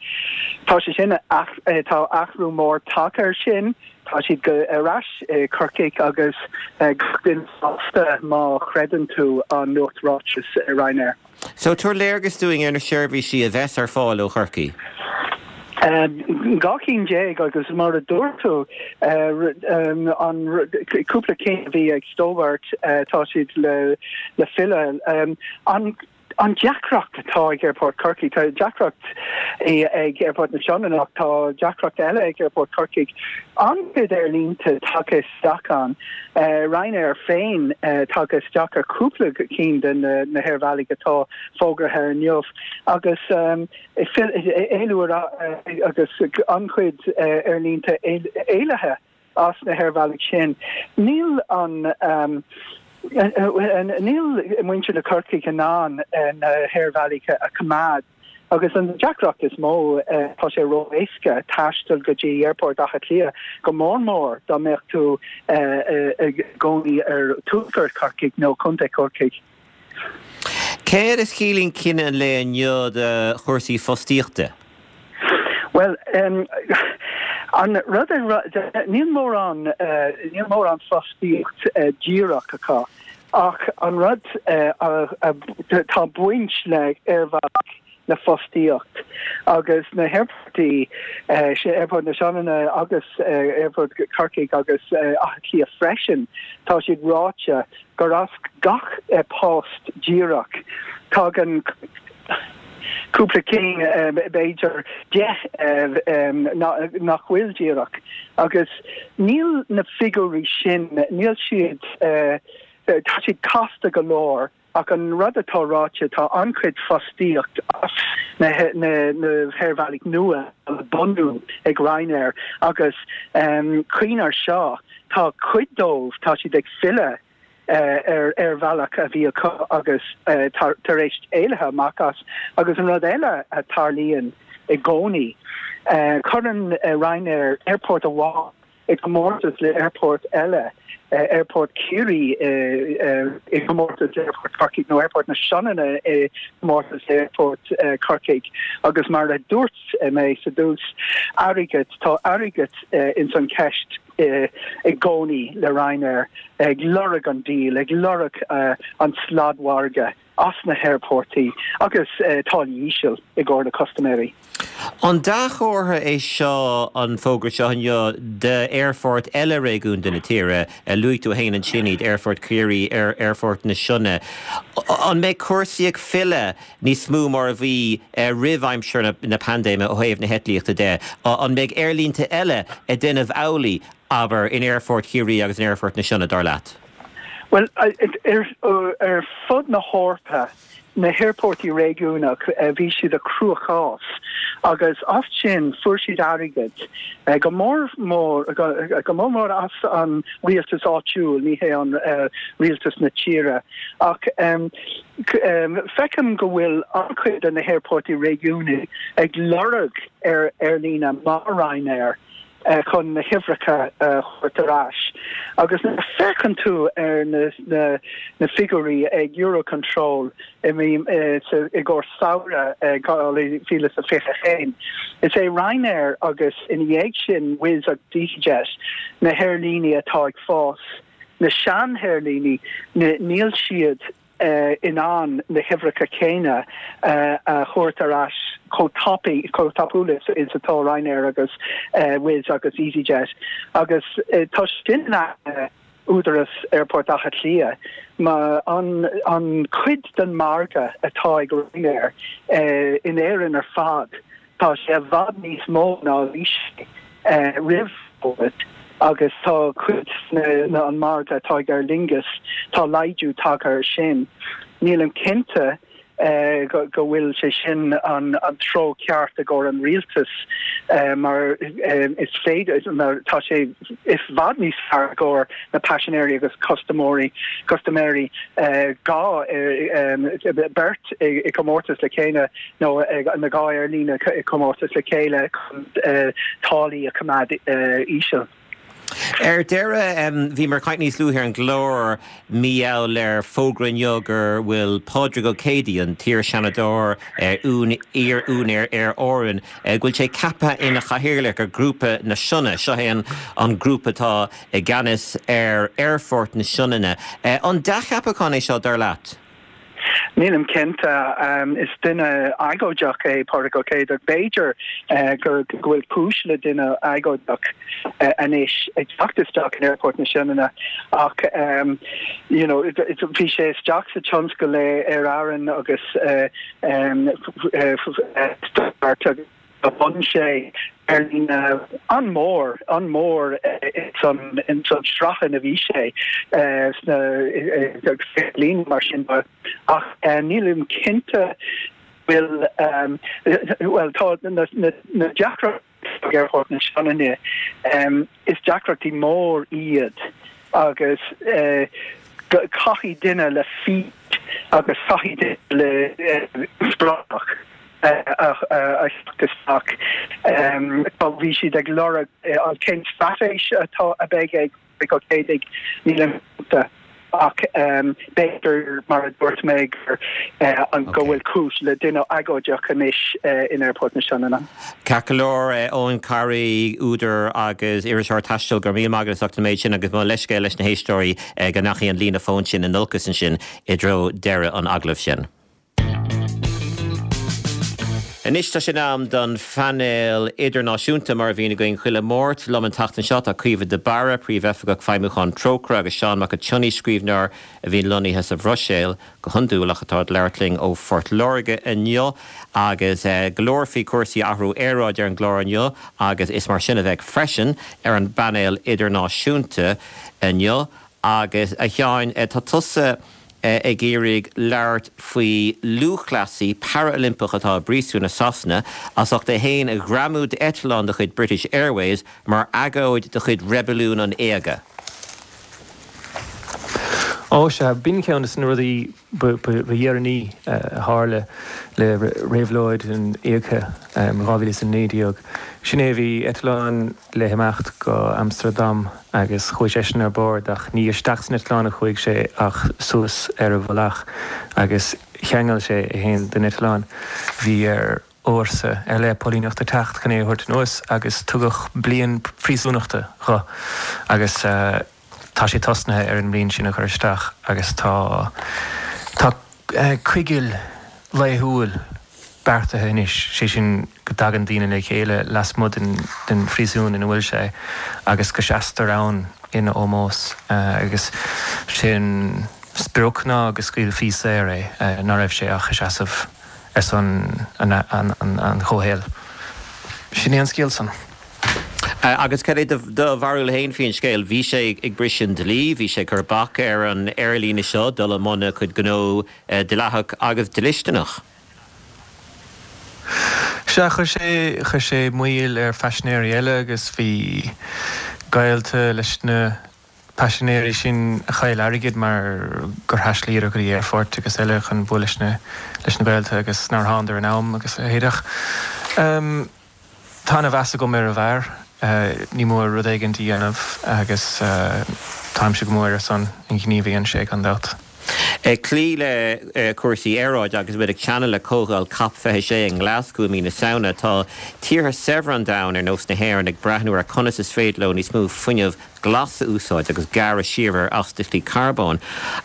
Tá sé sin, tá athrú mór tagtha air sin. Tá siad ar ais i Corcaigh agus gach duine sásta má chreideann tú an nuacht-ráiteas Ryanair.
So, tabhair léargas dúinn ar na seirbhísí a bheas ar fáil ó Chorcaigh.
12 cinn agus mar a dúirt tú, an cúpla cinn a bhí ag Stobart, tá siad le filleadh. An An deacracht atá ag Aerfort Chorcaí, tá deacracht ag Aerfort na Sionainne ach tá deacracht eile ag Aerfort Chorcaí. An-chuid aerlínte tagtha isteach ann, Ryanair féin tagtha isteach ar chúpla cinn de na haerbhealaigh atá fógartha inniu agus éalú agus an-chuid aerlínte éalaithe. as na haerbhealaigh sin. Níl an níl muintir na Corcaigh in ann na haerbhealaigh a choimeád agus an deacracht is mó tá sé ró-éasca taisteal go dtí Aerfort Átha Cliath, go mór mór dá mbeadh tú i gcónaí ar tuaisceart Chorcaigh nó Contae Chorcaigh.
Céard a chiallaíonn cinneadh an lae inniu do chúrsaí fostaíochta?
Bhuel, an rud a, níl mórán, níl mórán fostaíocht díreach acu ach an rud, tá baint le aerbhealach le fostaíocht agus na haerfoirtí, Aerfort na Sionainne agus Aerfort Chorcaigh agus Átha Cliath freisin, tá siad ráite gur as gach post díreach tagann cúpla cinn, b'fhéidir 10 nach bhfuil díreach agus níl na figiúirí sin, níl siad, tá siad casta go leor. Ach an rud atá ráite, tá an-chuid fostaíocht as na haerbhealaigh nua le bunú ag Ryanair agus cuimhnigh air seo, tá cuid dóibh, tá siad ag filleadh ar aerbhealach a bhí acu agus tar éis éalaithe amach as. Agus an rud eile a tarlaíonn i gcónaí, cuireann Ryanair aerfort amháin i gcomórtas le aerfort eile, Aerfort Chiarraí i gcomórtas le Aerfort Chorcaigh nó Aerfort na Sionainne i gcomórtas le Aerfort Chorcaigh agus mar a dúirt mé sa dtús, airgead, tá airgead ins an cheist i gcónaí le Ryanair, ag lorg an deal, ag lorg an sladmhargadh. as na haerfoirtí agus táillí íseal i gcomhair na custaiméirí.
An dea-chomhartha é seo an fógra seo inniu d'aerfoirt eile réigiúnda na tíre? Luaigh tú féin ansin iad, Aerfort Chiarraí, Aerfort na Sionainne. An mbeidh cúrsaí ag filleadh níos mó mar a bhí roimh aimsir na paindéime ó thaobh na heitlíochta de? An mbeidh aerlínte eile ag déanamh amhlaidh, abair, in Aerfort Chiarraí agus in Aerfort na Sionainne, dar leat?
Bhuel, ar fud na hEorpa, na haerfoirtí réigiúnach, bhí siad i cruachás agus as sin fuair siad airgead, go mór mór, go mór mór as an rialtas áitiúil, ní hé an rialtas na tíre. Ach feicim go bhfuil an-chuid de na haerfoirtí réigiúnaigh ag lorg ar aerlíne mar Ryanair. chun na huimhreacha a thabhairt ar ais. Agus nuair a féachann tú ar na figiúirí ag Eurocontrol i gcomhair samhradh 2021, is é Ryanair agus ina dhiaidh sin Wizz agus easyJet na haerlíní atá ag fás. Na sean-aerlíní, níl siad in ann na huimhreacha céanna a thabhairt ar ais chomh tapaidh, chomh tapúil is atá Ryanair agus Wizz agus easyJet. Agus tá sin in aigne údaras Aerfort Átha Cliath, mar an chuid den margadh atá ag Ryanair in Éirinn ar fad, Tá sé i bhfad níos mó ná a bhí sé roimh Covid agus tá cuid an margadh atá ag Aer Lingus, tá laghdú tagtha air sin. Nílim cinnte go bhfuil sé sin an treo ceart i gcomhair an rialtas mar is féidir, mar tá sé i bhfad níos fearr i gcomhair na paisinéirí agus custaiméirí, custaiméirí 2 beirt i gcomórtas le chéile. nó na 2 aerlíne i gcomórtas le chéile chun táillí a choimeád íseal.
Ar deireadh, bhíomar ag caint níos luaithe ar an gclár mar gheall ar fógra inniu go bhfuil Pádraig Ó Céidigh, an t-iar-Sheanadóir, iar-úinéir Aer Árann, go bhfuil sé ceaptha ina chathaoirleach ar Ghrúpa na Sionna. Seo é an grúpa atá i gceannas ar Aerfort na Sionainne. An dea-cheapachán é seo, dar leat?
Nílim cinnte. Is duine agóideach é Pádraig Ó Céidigh. B'fhéidir go bhfuil cúis le duine agóideach anois ag teacht isteach in Aerfort na Sionainne ach you know bhí sé isteach sa tionscal le Aer Arann agus Bhunaigh sé aerlíne an-mhór, an-mhór ins an ins an sraith ina bhí sé sna blianta mar sin de ach nílim cinnte bhfuil bhuel tá na na deacrachtaí ag Aerfort na Sionainne is deacrachtaí mór iad agus caithfidh duine le fís agus caithfidh duine le spreagadh a theacht isteach. Bhí siad ag lorg an cén straitéis atá a bheidh ag Ó Céidigh, nílim cinnte ach b'fhéidir mar a dúirt mé gur go bhfuil cúis le duine agóideach anois in Aerfort na Sionainne.
Ceart go leor, Eoin Carey, údar agus iriseoir taistil, go raibh míle maith agat as ucht an méid sin agus mo leithscéal leis na héisteoirí go ndeachaigh an líne fóin sin in olcas ansin i dtreo deireadh an agallaimh sin. Anois tá sé in am don phainéal idirnáisiúnta mar a bhíonn againn chuile Mháirt. Liom an tseachtain seo tá Caoimhe de Barra, Príomhoifigeach Feidhmiúcháin Trócaire agus Seán Mac an tSionnaigh, scríbhneoir a bhíonn lonnaithe sa Bhruiséil go hiondúil ach atá ag labhairt linn ó Phort Láirge inniu. Agus go leor faoi chúrsaí athrú aeráide ar an gclár inniu agus is mar sin a bheidh freisin ar an bpainéal idirnáisiúnta inniu. Agus, a Sheáin, tá tusa ag iarraidh labhairt faoi lúthchleasaí Parailimpeach atá i bpríosún i Sasana as ucht é féin a ghreamú d'eitleán de chuid British Airways mar agóid de chuid Reibiliún an Éaga.
Ó sea, b'in ceann de na rudaí ba dheireanaí a tharla le Réabhlóid an Éagtha in 2019. Sin é, bhí eitleán le himeacht go Amstardam agus chuaigh seisean ar bord ach ní isteach san eitleán a chuaigh sé ach suas ar an mhullach agus cheangail sé é féin den eitleán. Bhí ar fhórsa ar leith póilíneachta teacht chun é a thabhairt anuas agus tugadh bliain phríosúnachta dho agus tá sé tosnaithe ar an mbliain sin a chur isteach agus tá tá coigil laethúil beartaithe anois, sé sin go dtagann daoine le chéile lasmuigh den phríosún ina bhfuil sé agus go seastar ann ina ómós agus sé an sprioc ná go scaoilfí saor é, ná raibh sé ach ag seasamh ar son an chomhshaoil. Sin é an scéal san.
Agus cad é do bharúil féin faoin scéal? Bhí sé ag briseadh an dlí, bhí sé ag cur bac ar an aerlíne seo dul i mbun a cuid gnó dleathach agus dlisteanach.
Sea, chuir sé, chuir sé moill ar phaisinéirí eile agus bhí gaolta leis na paisinéirí sin a chaill airgead mar gur thaistealaíodar go dtí aerfoirt agus eile chun bualadh leis na, leis na gaolta agus nár thánadar in am agus a leithéid. Ach tá ana-mheas agam ar an bhfear. Ní mór rud éigin a dhéanamh agus táimse go mór ar son an ghnímh a dhein sé, gan dabht.
Ag cloí le cúrsaí aeráide agus muid ag teannadh le comhdháil Cop 26 i nGlaschú i mí na Samhna, tá tíortha saibhre an domhain, ar nós na hÉireann, ag breathnú ar conas is féidir leo níos mó fuinneamh glas a úsáid agus gearradh siar ar astaíochtaí carbóin.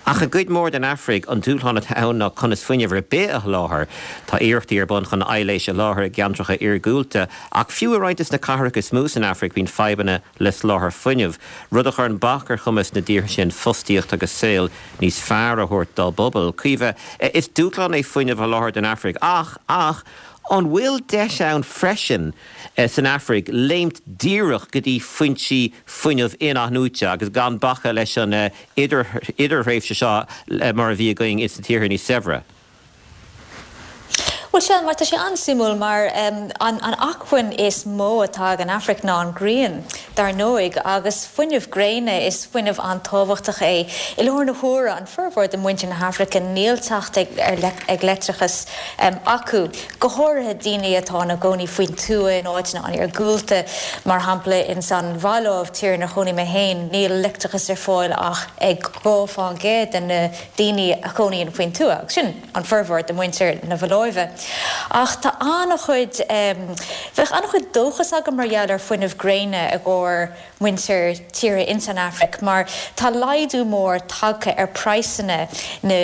Ach i gcuid mhór den Afraic, an dúshlán atá ann ná conas fuinneamh ar bith a sholáthar. Tá iarrachtaí ar bun chun aibhléis a sholáthar i gceantracha iargúlta, ach fiú i roinnt de na cathracha is mó san Afraic bíonn fadhbanna le soláthar fuinnimh, rud a chuireann bac ar chumas na dtíortha sin fostaíocht agus saol níos fearr a thabhairt dá bpobail. Caoimhe, is dúshlán é fuinneamh a sholáthar don Afraic, ach, ach, an bhfuil deis ann freisin san Afraic léimt díreach go dtí foinsí fuinnimh in-athnuaite agus gan bacadh leis an idirthréimhse seo mar a bhí againn ins na tíortha níos saibhre?
Bhuel, sea, mar tá sé an-suimiúil mar an acmhainn is mó atá ag an Afraic ná an ghrian, dar ndóigh, agus fuinneamh gréine, is fuinneamh an-tábhachtach é. I láthair na huaire, an formhór de mhuintir na hAfraice, níl teacht ag leictreachas acu, go háirithe daoine atá ina gcónaí faoin tuath in áiteanna an-iargúlta, mar shampla ins an Mhaláiv, tír inar chónaigh mé féin, níl leictreachas ar fáil ach ag 2% de na daoine a chónaíonn faoin tuath, agus sin. an formhór de mhuintir na Maláive. Ach tá an-chuid, bheadh an-chuid dóchas agam mar gheall ar fuinneamh gréine i gcomhair muintir tíortha ins an Afraic mar tá laghdú mór tagtha ar praghsanna na,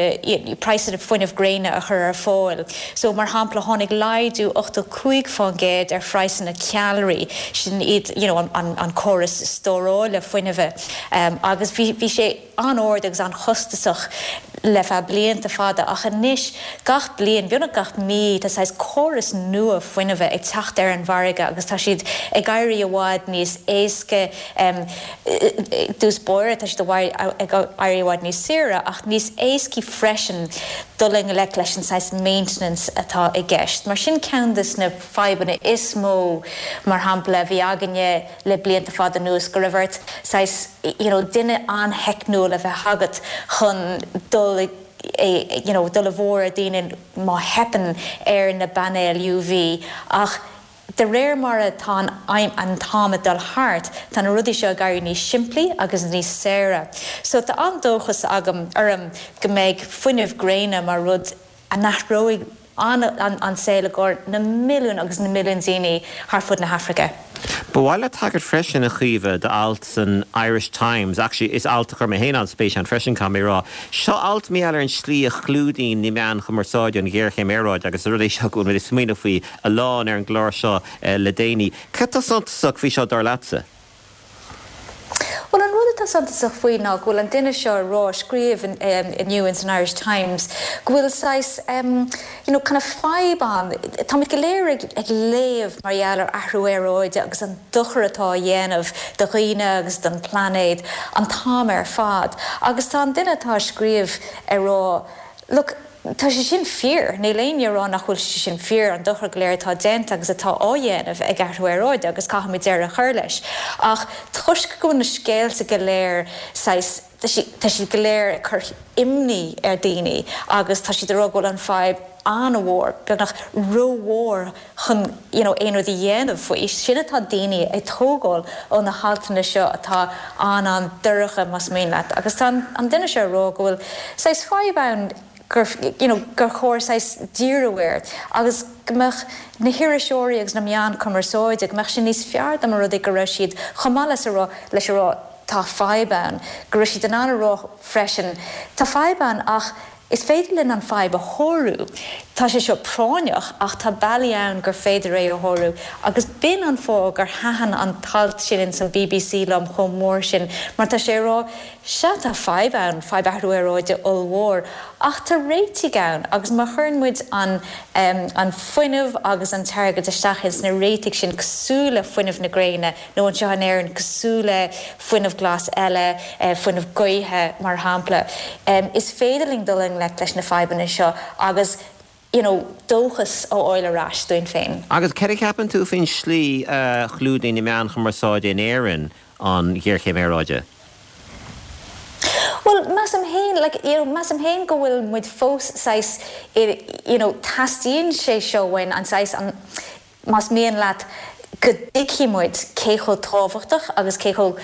praghsanna fuinneamh gréine a chur ar fáil. So mar shampla tháinig laghdú 85% ar phraghsanna ceallraí, sin iad you know an an córas stórála fuinnimhe agus bhí bhí sé, an-ard agus an-chostasach le feadh blianta fada ach anois gach bliain, beagnach gach mí, tá saghas córas nua fuinnimhe ag teacht ar an mhargadh agus tá siad ag éirí i bhfad níos éasca, i dtús báire tá siad ag éirí i bhfad níos saoire ach níos éascaí freisin dul i ngleic leis an saghas maintenance atá i gceist. Mar sin ceann de na fadhbanna is mó mar shampla a bhí againne, le blianta fada anuas, go raibh ort saghas you know duine an-theicniúil a bheith agat chun dul you know dul i bhfóir ar daoine má theipeann ar na bpainéil UV ach de réir mar atá an an t-am ag dul thart tá na rudaí seo ag éirí níos simplí agus níos saoire. So tá an-dóchas agam orm go mbeidh fuinneamh gréine mar rud a n-athróidh an saol i gcomhair na milliúin agus na milliúin daoine thar fud na hAfraice.
Ba mhaith liom tagairt freisin, a Chaoimhe, d'alt san Irish Times, actually is alt a chuir mé féin an-spéis ann freisin, caithfidh mé a rá. Seo alt mar gheall ar an slí a chlúdaíonn na meáin chumarsáide an ghéarchéim aeráide agus is rud é seo go bhfuil muid ag smaoineamh faoi a lán ar an gclár seo le déanaí. Cad tá suntasach faoi seo dar leatsa?
Bhuel, an rud atá suntasach faoi ná go bhfuil an duine seo ag rá, scríobh inniu ins an Irish Times, go bhfuil saghas you know kind of fadhb ann. Táimid go léir ag ag léamh mar gheall ar athrú aeráide agus an dochar atá á dhéanamh do dhaoine agus don phláinéad an t-am ar fad. Agus tá an duine atá ag scríobh ag rá, look, Tá sé sin fíor. Níl éinne ag rá nach bhfuil sé sin fíor, an dochar go léir atá déanta agus atá á dhéanamh ag athrú aeráide agus caithfimid deireadh a chur leis. Ach toisc go bhfuil na scéalta go léir saghas, tá siad go léir ag cur imní ar daoine agus tá siad ag rá go bhfuil an fadhb an-mhór, beagnach rómhór chun you know aon rud a dhéanamh faoi. Sin atá daoine ag tógáil ó na haltanna seo atá an-an-dorcha más mian leat. Agus tá an duine seo ag rá go bhfuil saghas fadhb ann gur you know gur chóir saghas díriú air agus go mbeadh na hiriseoirí agus na meáin cumarsáide, go mbeadh sé níos fearr dá mba rud é go raibh siad chomh maith leis a rá leis a rá tá fadhb ann, go raibh siad in ann a rá freisin tá fadhb ann ach Is féidir linn an fadhb a shárú. Tá sé seo práinneach ach tá bealaí ann gur féidir é a shárú agus b'in an fáth gur thaitin an t-alt sin ins an bbc liom chomh mór sin mar tá sé ag rá, sea tá fadhb ann, fadhb athrú aeráide ollmhór ach tá réitigh ann agus má chuireann muid an an fuinneamh agus an t-airgead isteach ins na réitigh sin cosúil le fuinneamh na gréine, nó anseo in Éirinn cosúil le fuinneamh glas eile, fuinneamh gaoithe mar shampla. Is féidir linn dul i ngleic leis na fadhbanna seo agus you know dóchas a fháil ar ais dúinn féin.
Agus céard a cheapann tú faoin slí a chlúdaíonn na meáin chumarsáide in Éirinn an ghéarchéim aeráide?
Bhuel, measaim féin, like, you know, measaim féin go bhfuil muid fós saghas i, you know, teastaíonn sé seo uainn, an saghas, an, más mian leat, go dtuigfidh muid cé chomh tábhachtach agus cé chomh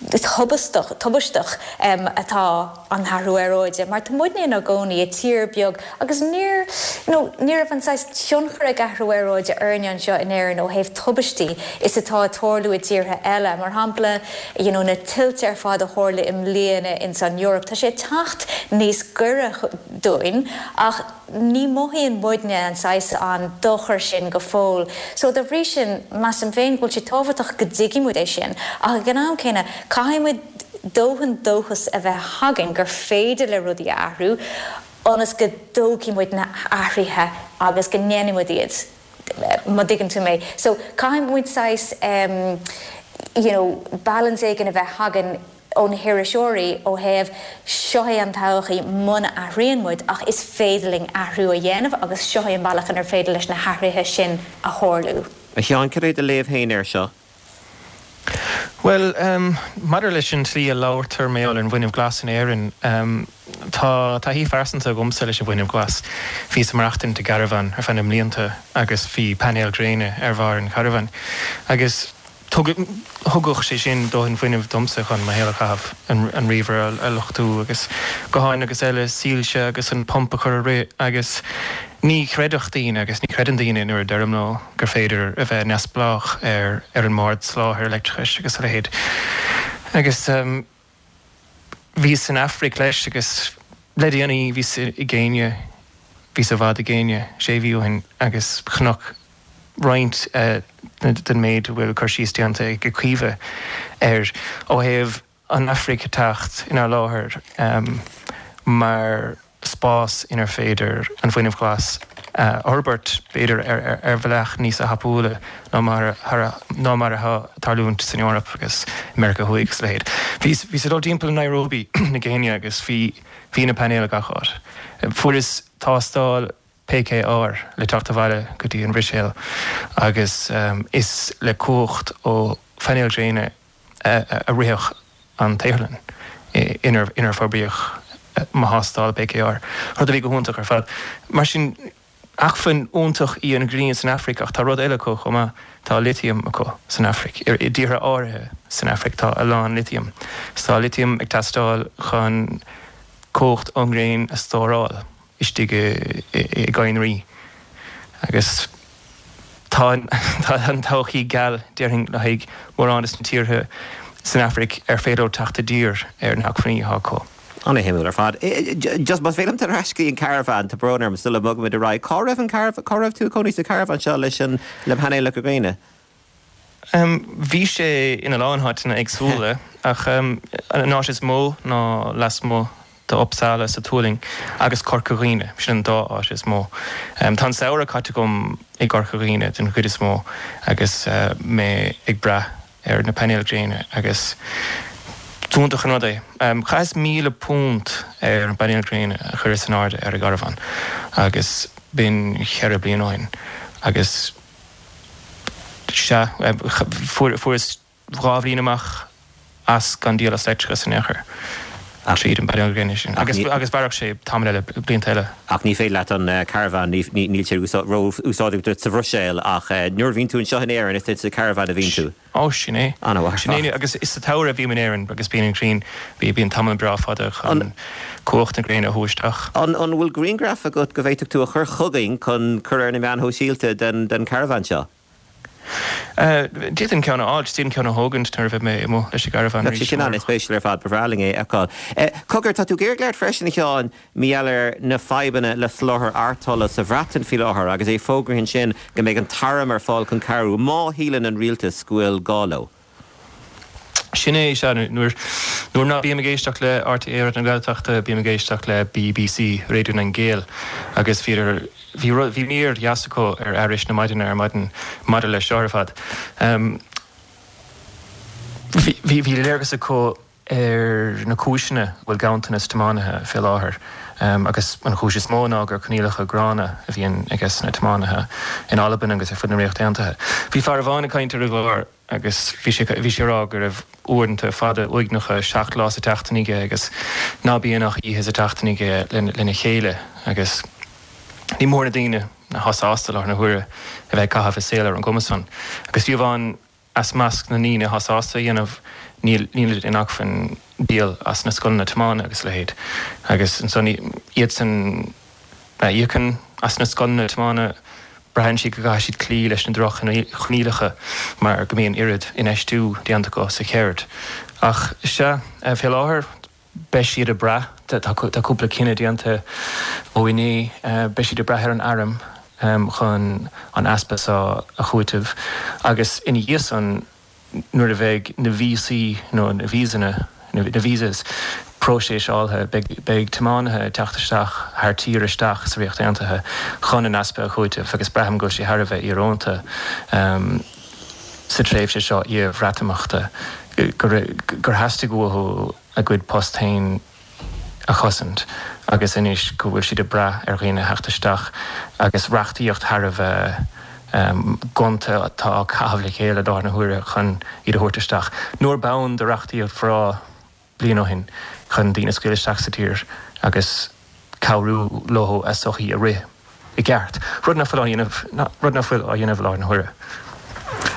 tubaisteach, tubaisteach atá an t-athrú aeráide. Mar tá muidne inár gcónaí i tír beag agus níor, you know, ní raibh an saghas tionchar ag athrú aeráide orainne anseo in Éirinn ó thaobh tubaistí is atá ag tarlú i dtíortha eile. Mar shampla, you know, na tuilte ar fad a tharla i mbliana ins an Eoraip, tá sé ag teacht níos gaire dúinn ach, ní mhothaíonn muidne an saghas an dochar sin go fóill. So dá bhrí sin, measaim féin go bhfuil sé tábhachtach go dtuigfidh muid é sin, ach ag an am céanna, caithfidh muid dóthain dóchas a bheith againn gur féidir le rudaí a athrú ionas go dtógfaidh muid na hathruithe agus go ndéanfaidh muid iad, má dtuigeann tú mé. So caithfidh muid saghas em you know balance éigin a bheith againn. ó na hiriseoirí ó thaobh seo é an todhchaí muna athraíonn muid ach is féidir linn athrú a dhéanamh agus seo é an bealach inar féidir leis na hathruithe sin a tharlú.
A Sheáin, cad é do léamh féin air seo?
Bhuel, maidir leis an tslí a labhartar mar gheall ar an bhfuinneamh glas in Éirinn, tá taithí phearsanta agamsa leis an bhfuinneamh glas. Bhíos ag maireachtaint i gcarbhán ar feadh na mblianta agus bhí painéil gréine ar bharr an charbháin agus thugadh sé sin dóthain fuinnimh domsa chun mo shaol a chaitheamh, an ríomhaire a luchtú agus gutháin agus eile, soilse agus an pump a chur ag rith agus ní chreidfeadh daoine agus ní chreideann daoine nuair a deirim leo gur féidir a bheith neamhspleách ar ar an mbord soláthair leictreachais agus a leithéid. Agus bhíos san Afraic leis agus le déanaí bhíos i gCéinia, bhíos i bhfad i gCéinia sé mhí ó shin agus chonac roinnt den méid a bhfuil cur síos déanta ag Caoimhe air ó thaobh an Afraic ag teacht inár láthair mar spás inar féidir an fuinneamh glas a fhorbairt, b'fhéidir ar bhealach níos thapúla ná mar ná mar atá ag tarlúint san Eoraip agus i Meiriceá Thuaidh agus a leithéid. Bhíos ag dul timpeall Nairobi na Céinia agus bhí bhí na painéil gach áit. Fuaireas tástáil PCR le teacht abhaile go dtí an Bhruiséil agus is le cumhacht ó phainéil ghréine a ritheadh an tsaotharlann inar forbraíodh mo thástáil PCR, rud a bhí go hiontach ar fad. Mar sin, acmhainn iontach í an ghrian san Afraic ach tá rud eile acu chomh maith, tá litiam acu san Afraic. I dtíortha áirithe san Afraic tá a lán litiam. Is tá litiam ag teastáil chun cumhacht ón ngréin a stóráil. istigh i gcadhnraí agus tá an todhchaí geal, déarfainn, le haghaidh mórán de na tíortha san Afraic ar féidir leo teacht i dtír ar na hacmhainní atá acu.
Ana-shuimiúil ar fad. Just más féidir liom dul ar ais go dtí an carbhán, tá brón orm sula mbogaimid ar aghaidh. Cá raibh an carbhán, cá raibh tú ag cónaí sa charbhán seo leis an, le painéalacha gréine?
Bhí sé ina lán áiteanna éagsúla ach an áit is mó ná lasmuigh d'Uppsala sa tSualainn agus Corca Dhuibhne, sin an dá áit is mó. Tá an samhradh caite agam i gCorca Dhuibhne den chuid is mó agus mé ag brath ar na painéil gréine agus is iontach an rud é. Chaitheas £1,000 ar an bpainéal gréine a chuireas in airde ar an gcarbhán agus b'in cheithre bliana ó shin agus Sea, fuaireas 2 bhliain amach as gan díol as leictreachas in aon chor tríd an bpainéal gréine sin. Agus mhairfeadh sé tamall eile, blianta eile.
Ach ní féidir leat an carbhán, níl sé ró-úsáideach duit sa Bhruiséil ach nuair a bhíonn tú anseo in Éirinn is sa charbhán a bhíonn tú.
Ó, sin é.
An-mhaith.
Sin é, agus is sa tsamhradh a bhím in Éirinn agus bíonn an ghrian, bíonn tamall breá fada chun cumhacht na gréine a shú isteach.
An bhfuil grianghraf agat go bhféadfadh tú a chur chugainn chun cur ar na meáin shóisialta den charbhán seo?
D'fhéadfainn ceann a fháil, d'fhéadfainn ceann a thógaint nuair a bheidh mé amuigh leis an gcarbhán
arís. Bheadh sé sin an-spéisiúil ar fad, ba bhreá linn é a fheiceáil. Cogar, tá tú ag iarraidh labhairt freisin, a Sheáin, Mar gheall ar na fadhbanna le soláthar artola sa Bhreatain faoi láthair agus é fógraithe ansin go mbeidh an t-arm ar fáil chun cabhrú má shíleann an rialtas go bhfuil gá leo.
Sin é, sea. Nuair nuair ná bím ag éisteacht le RTÉ Raidió na Gaeltachta, bím ag éisteacht le BBC, Raidió na nGael, agus bhí bhí rud bhí mír dheas acu ar aithris na maidine ar maidin maidir leis seo ar fad. Bhí bhí léargas acu ar na cúiseanna a bhfuil ganntanas tiománaithe fé láthair agus an chúis is mó ná gur coinníollacha gránna a bhíonn ages na tiománaithe in Albain agus ar fud na Ríochta Aontaithe. Bhí fear amháin ag caint ar an gclár agus bhí sé bhí sé ag rá go raibh uaireanta fada uaigneacha 7 lá sa tseachtain aige agus ná bíonn ach oíche sa tseachtain aige lena chéile agus ní mór na daoine atá sásta i láthair na huaire a bheith ag caitheamh a saol ar an gcuma san agus fiú amháin As measc na ndaoine atá sásta a dhéanamh, níl nílid in acmhainn díol as na scoileanna tiomána agus a leithéid. Agus ansan iadsan a íocann as na scoileanna tiomána, braitheann siad go gcaithfidh siad cloí leis na droch-choinníollacha mar go mbíonn oiread infheistiú déanta acu sa cheird. Ach sea, fé láthair, Beidh siad ag brath, tá cúpla cinneadh déanta ó inné, beidh siad ag brath ar an arm chun an easpa seo a chúiteamh agus ina dhiaidh san nuair a bheidh na víosaí nó na víosanna, na visas, próiseáilte, beidh tiománaithe ag teacht isteach thar tír isteach sa Ríocht Aontaithe chun an easpa a chúiteamh agus braithim go bhfuil sé thar a bheith íorónta sa tréimhse seo iar-Bhreatimeachta. Gur theastaigh uathu a gcuid post féin a chosaint agus anois go bhfuil siad ag brath ar dhaoine a theacht isteach agus reachtaíocht thar a bheith gonta atá á caitheamh le chéile i láthair na huaire chun iad a thabhairt isteach. Nuair b'ann do reachtaíocht bhreá bliain ó shin chun daoine a scaoileadh isteach sa tír agus cabhrú leo a sochaí a rith i gceart, rud nach bhfuil á dhéanamh, rud nach bhfuil á dhéanamh i láthair na huaire.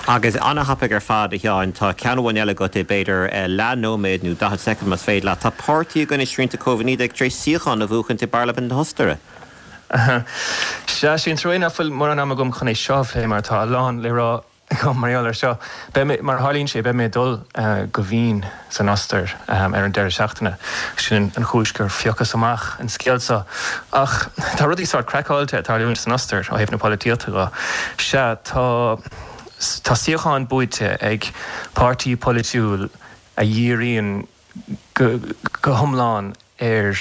Agus an-thapaidh ar fad, a Sheáin. Tá ceann amháin eile agat i b'fhéidir leath nóiméad nó 40 soicind más féidir leat. Tá páirtí i gcoinne srianta Covid-19 tar éis suíochán a bhuachaint i bParlaimint na hOstaire.
Sea, sé an trua nach bhfuil mórán ama agam chun é seo a phlé mar tá a lán le rá agam mar gheall air seo. Beidh mé, mar a tharlaíonn sé, beidh mé ag dul go Vín san Ostair ar an deireadh seachtaine. Sin an chúis gur phiocas amach an scéal seo. Ach tá rudaí sórt craiceáilte ag tarlúint san Ostair ó thaobh na polaitíochta de. Sea, tá, tá suíocháin buaite ag páirtí polaitiúil a dhíríonn go hiomlán ar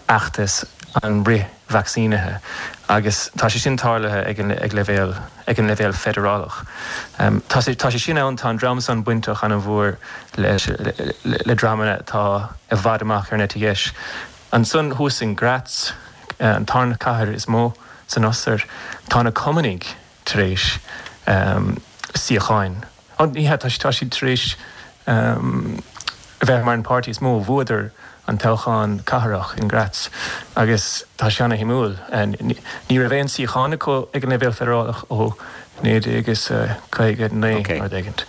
fheachtas an fhrith-vacsaínithe agus tá sé sin tarlaithe ag an leibhéal ag an leibhéal feidearálach. Tá sé tá sé sin ann, tá an dream san bainteach an-mhór leis le dreamanna atá i bhfad amach ar an eite dheis. Ansan thuas in Graz, an tarna cathair is mó san Ostair, tá na Cumannaigh tar éis suíocháin Ní hea, tá siad tar éis a bheith mar an páirtí is mó. Bhuadar an toghchán cathrach in Graz agus tá sé ana-shuimiúil. Ní raibh aon suíochán acu ag an leibhéal feidearálach ó 1959 nó rud éigint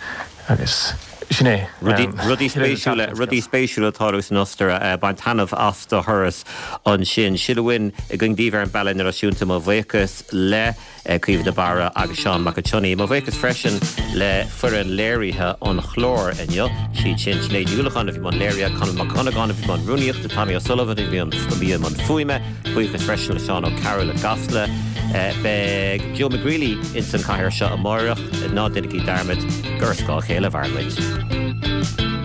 agus sin é.
Rudaí spéisiúla, rudaí spéisiúla ag tarlú san Ostair. Bain taitneamh as do thuras ansin. Sin uainn againn daoibh ar an Bealach Idirnáisiúnta. Mo bhuíochas le. Caoimhe de Barra agus Seán Mac an tSionnaigh. Mo bhuíochas freisin le foireann léirithe an chláir inniu, siad sin Sinéad Ní Uallacháin a bhí i mbun léirithe, Conall Mac Dhonnagáin a bhí i mbun rúnaíochta, Tommy O'Sullivan a bhí i mbun fuaime. Buíochas freisin le Seán Ó Cearúil i gCasla. Beidh Joe McGreely ins an chathaoir seo amáireach. Ná déanaigí dearmad gur ar scáth a chéile a mhaireann muid.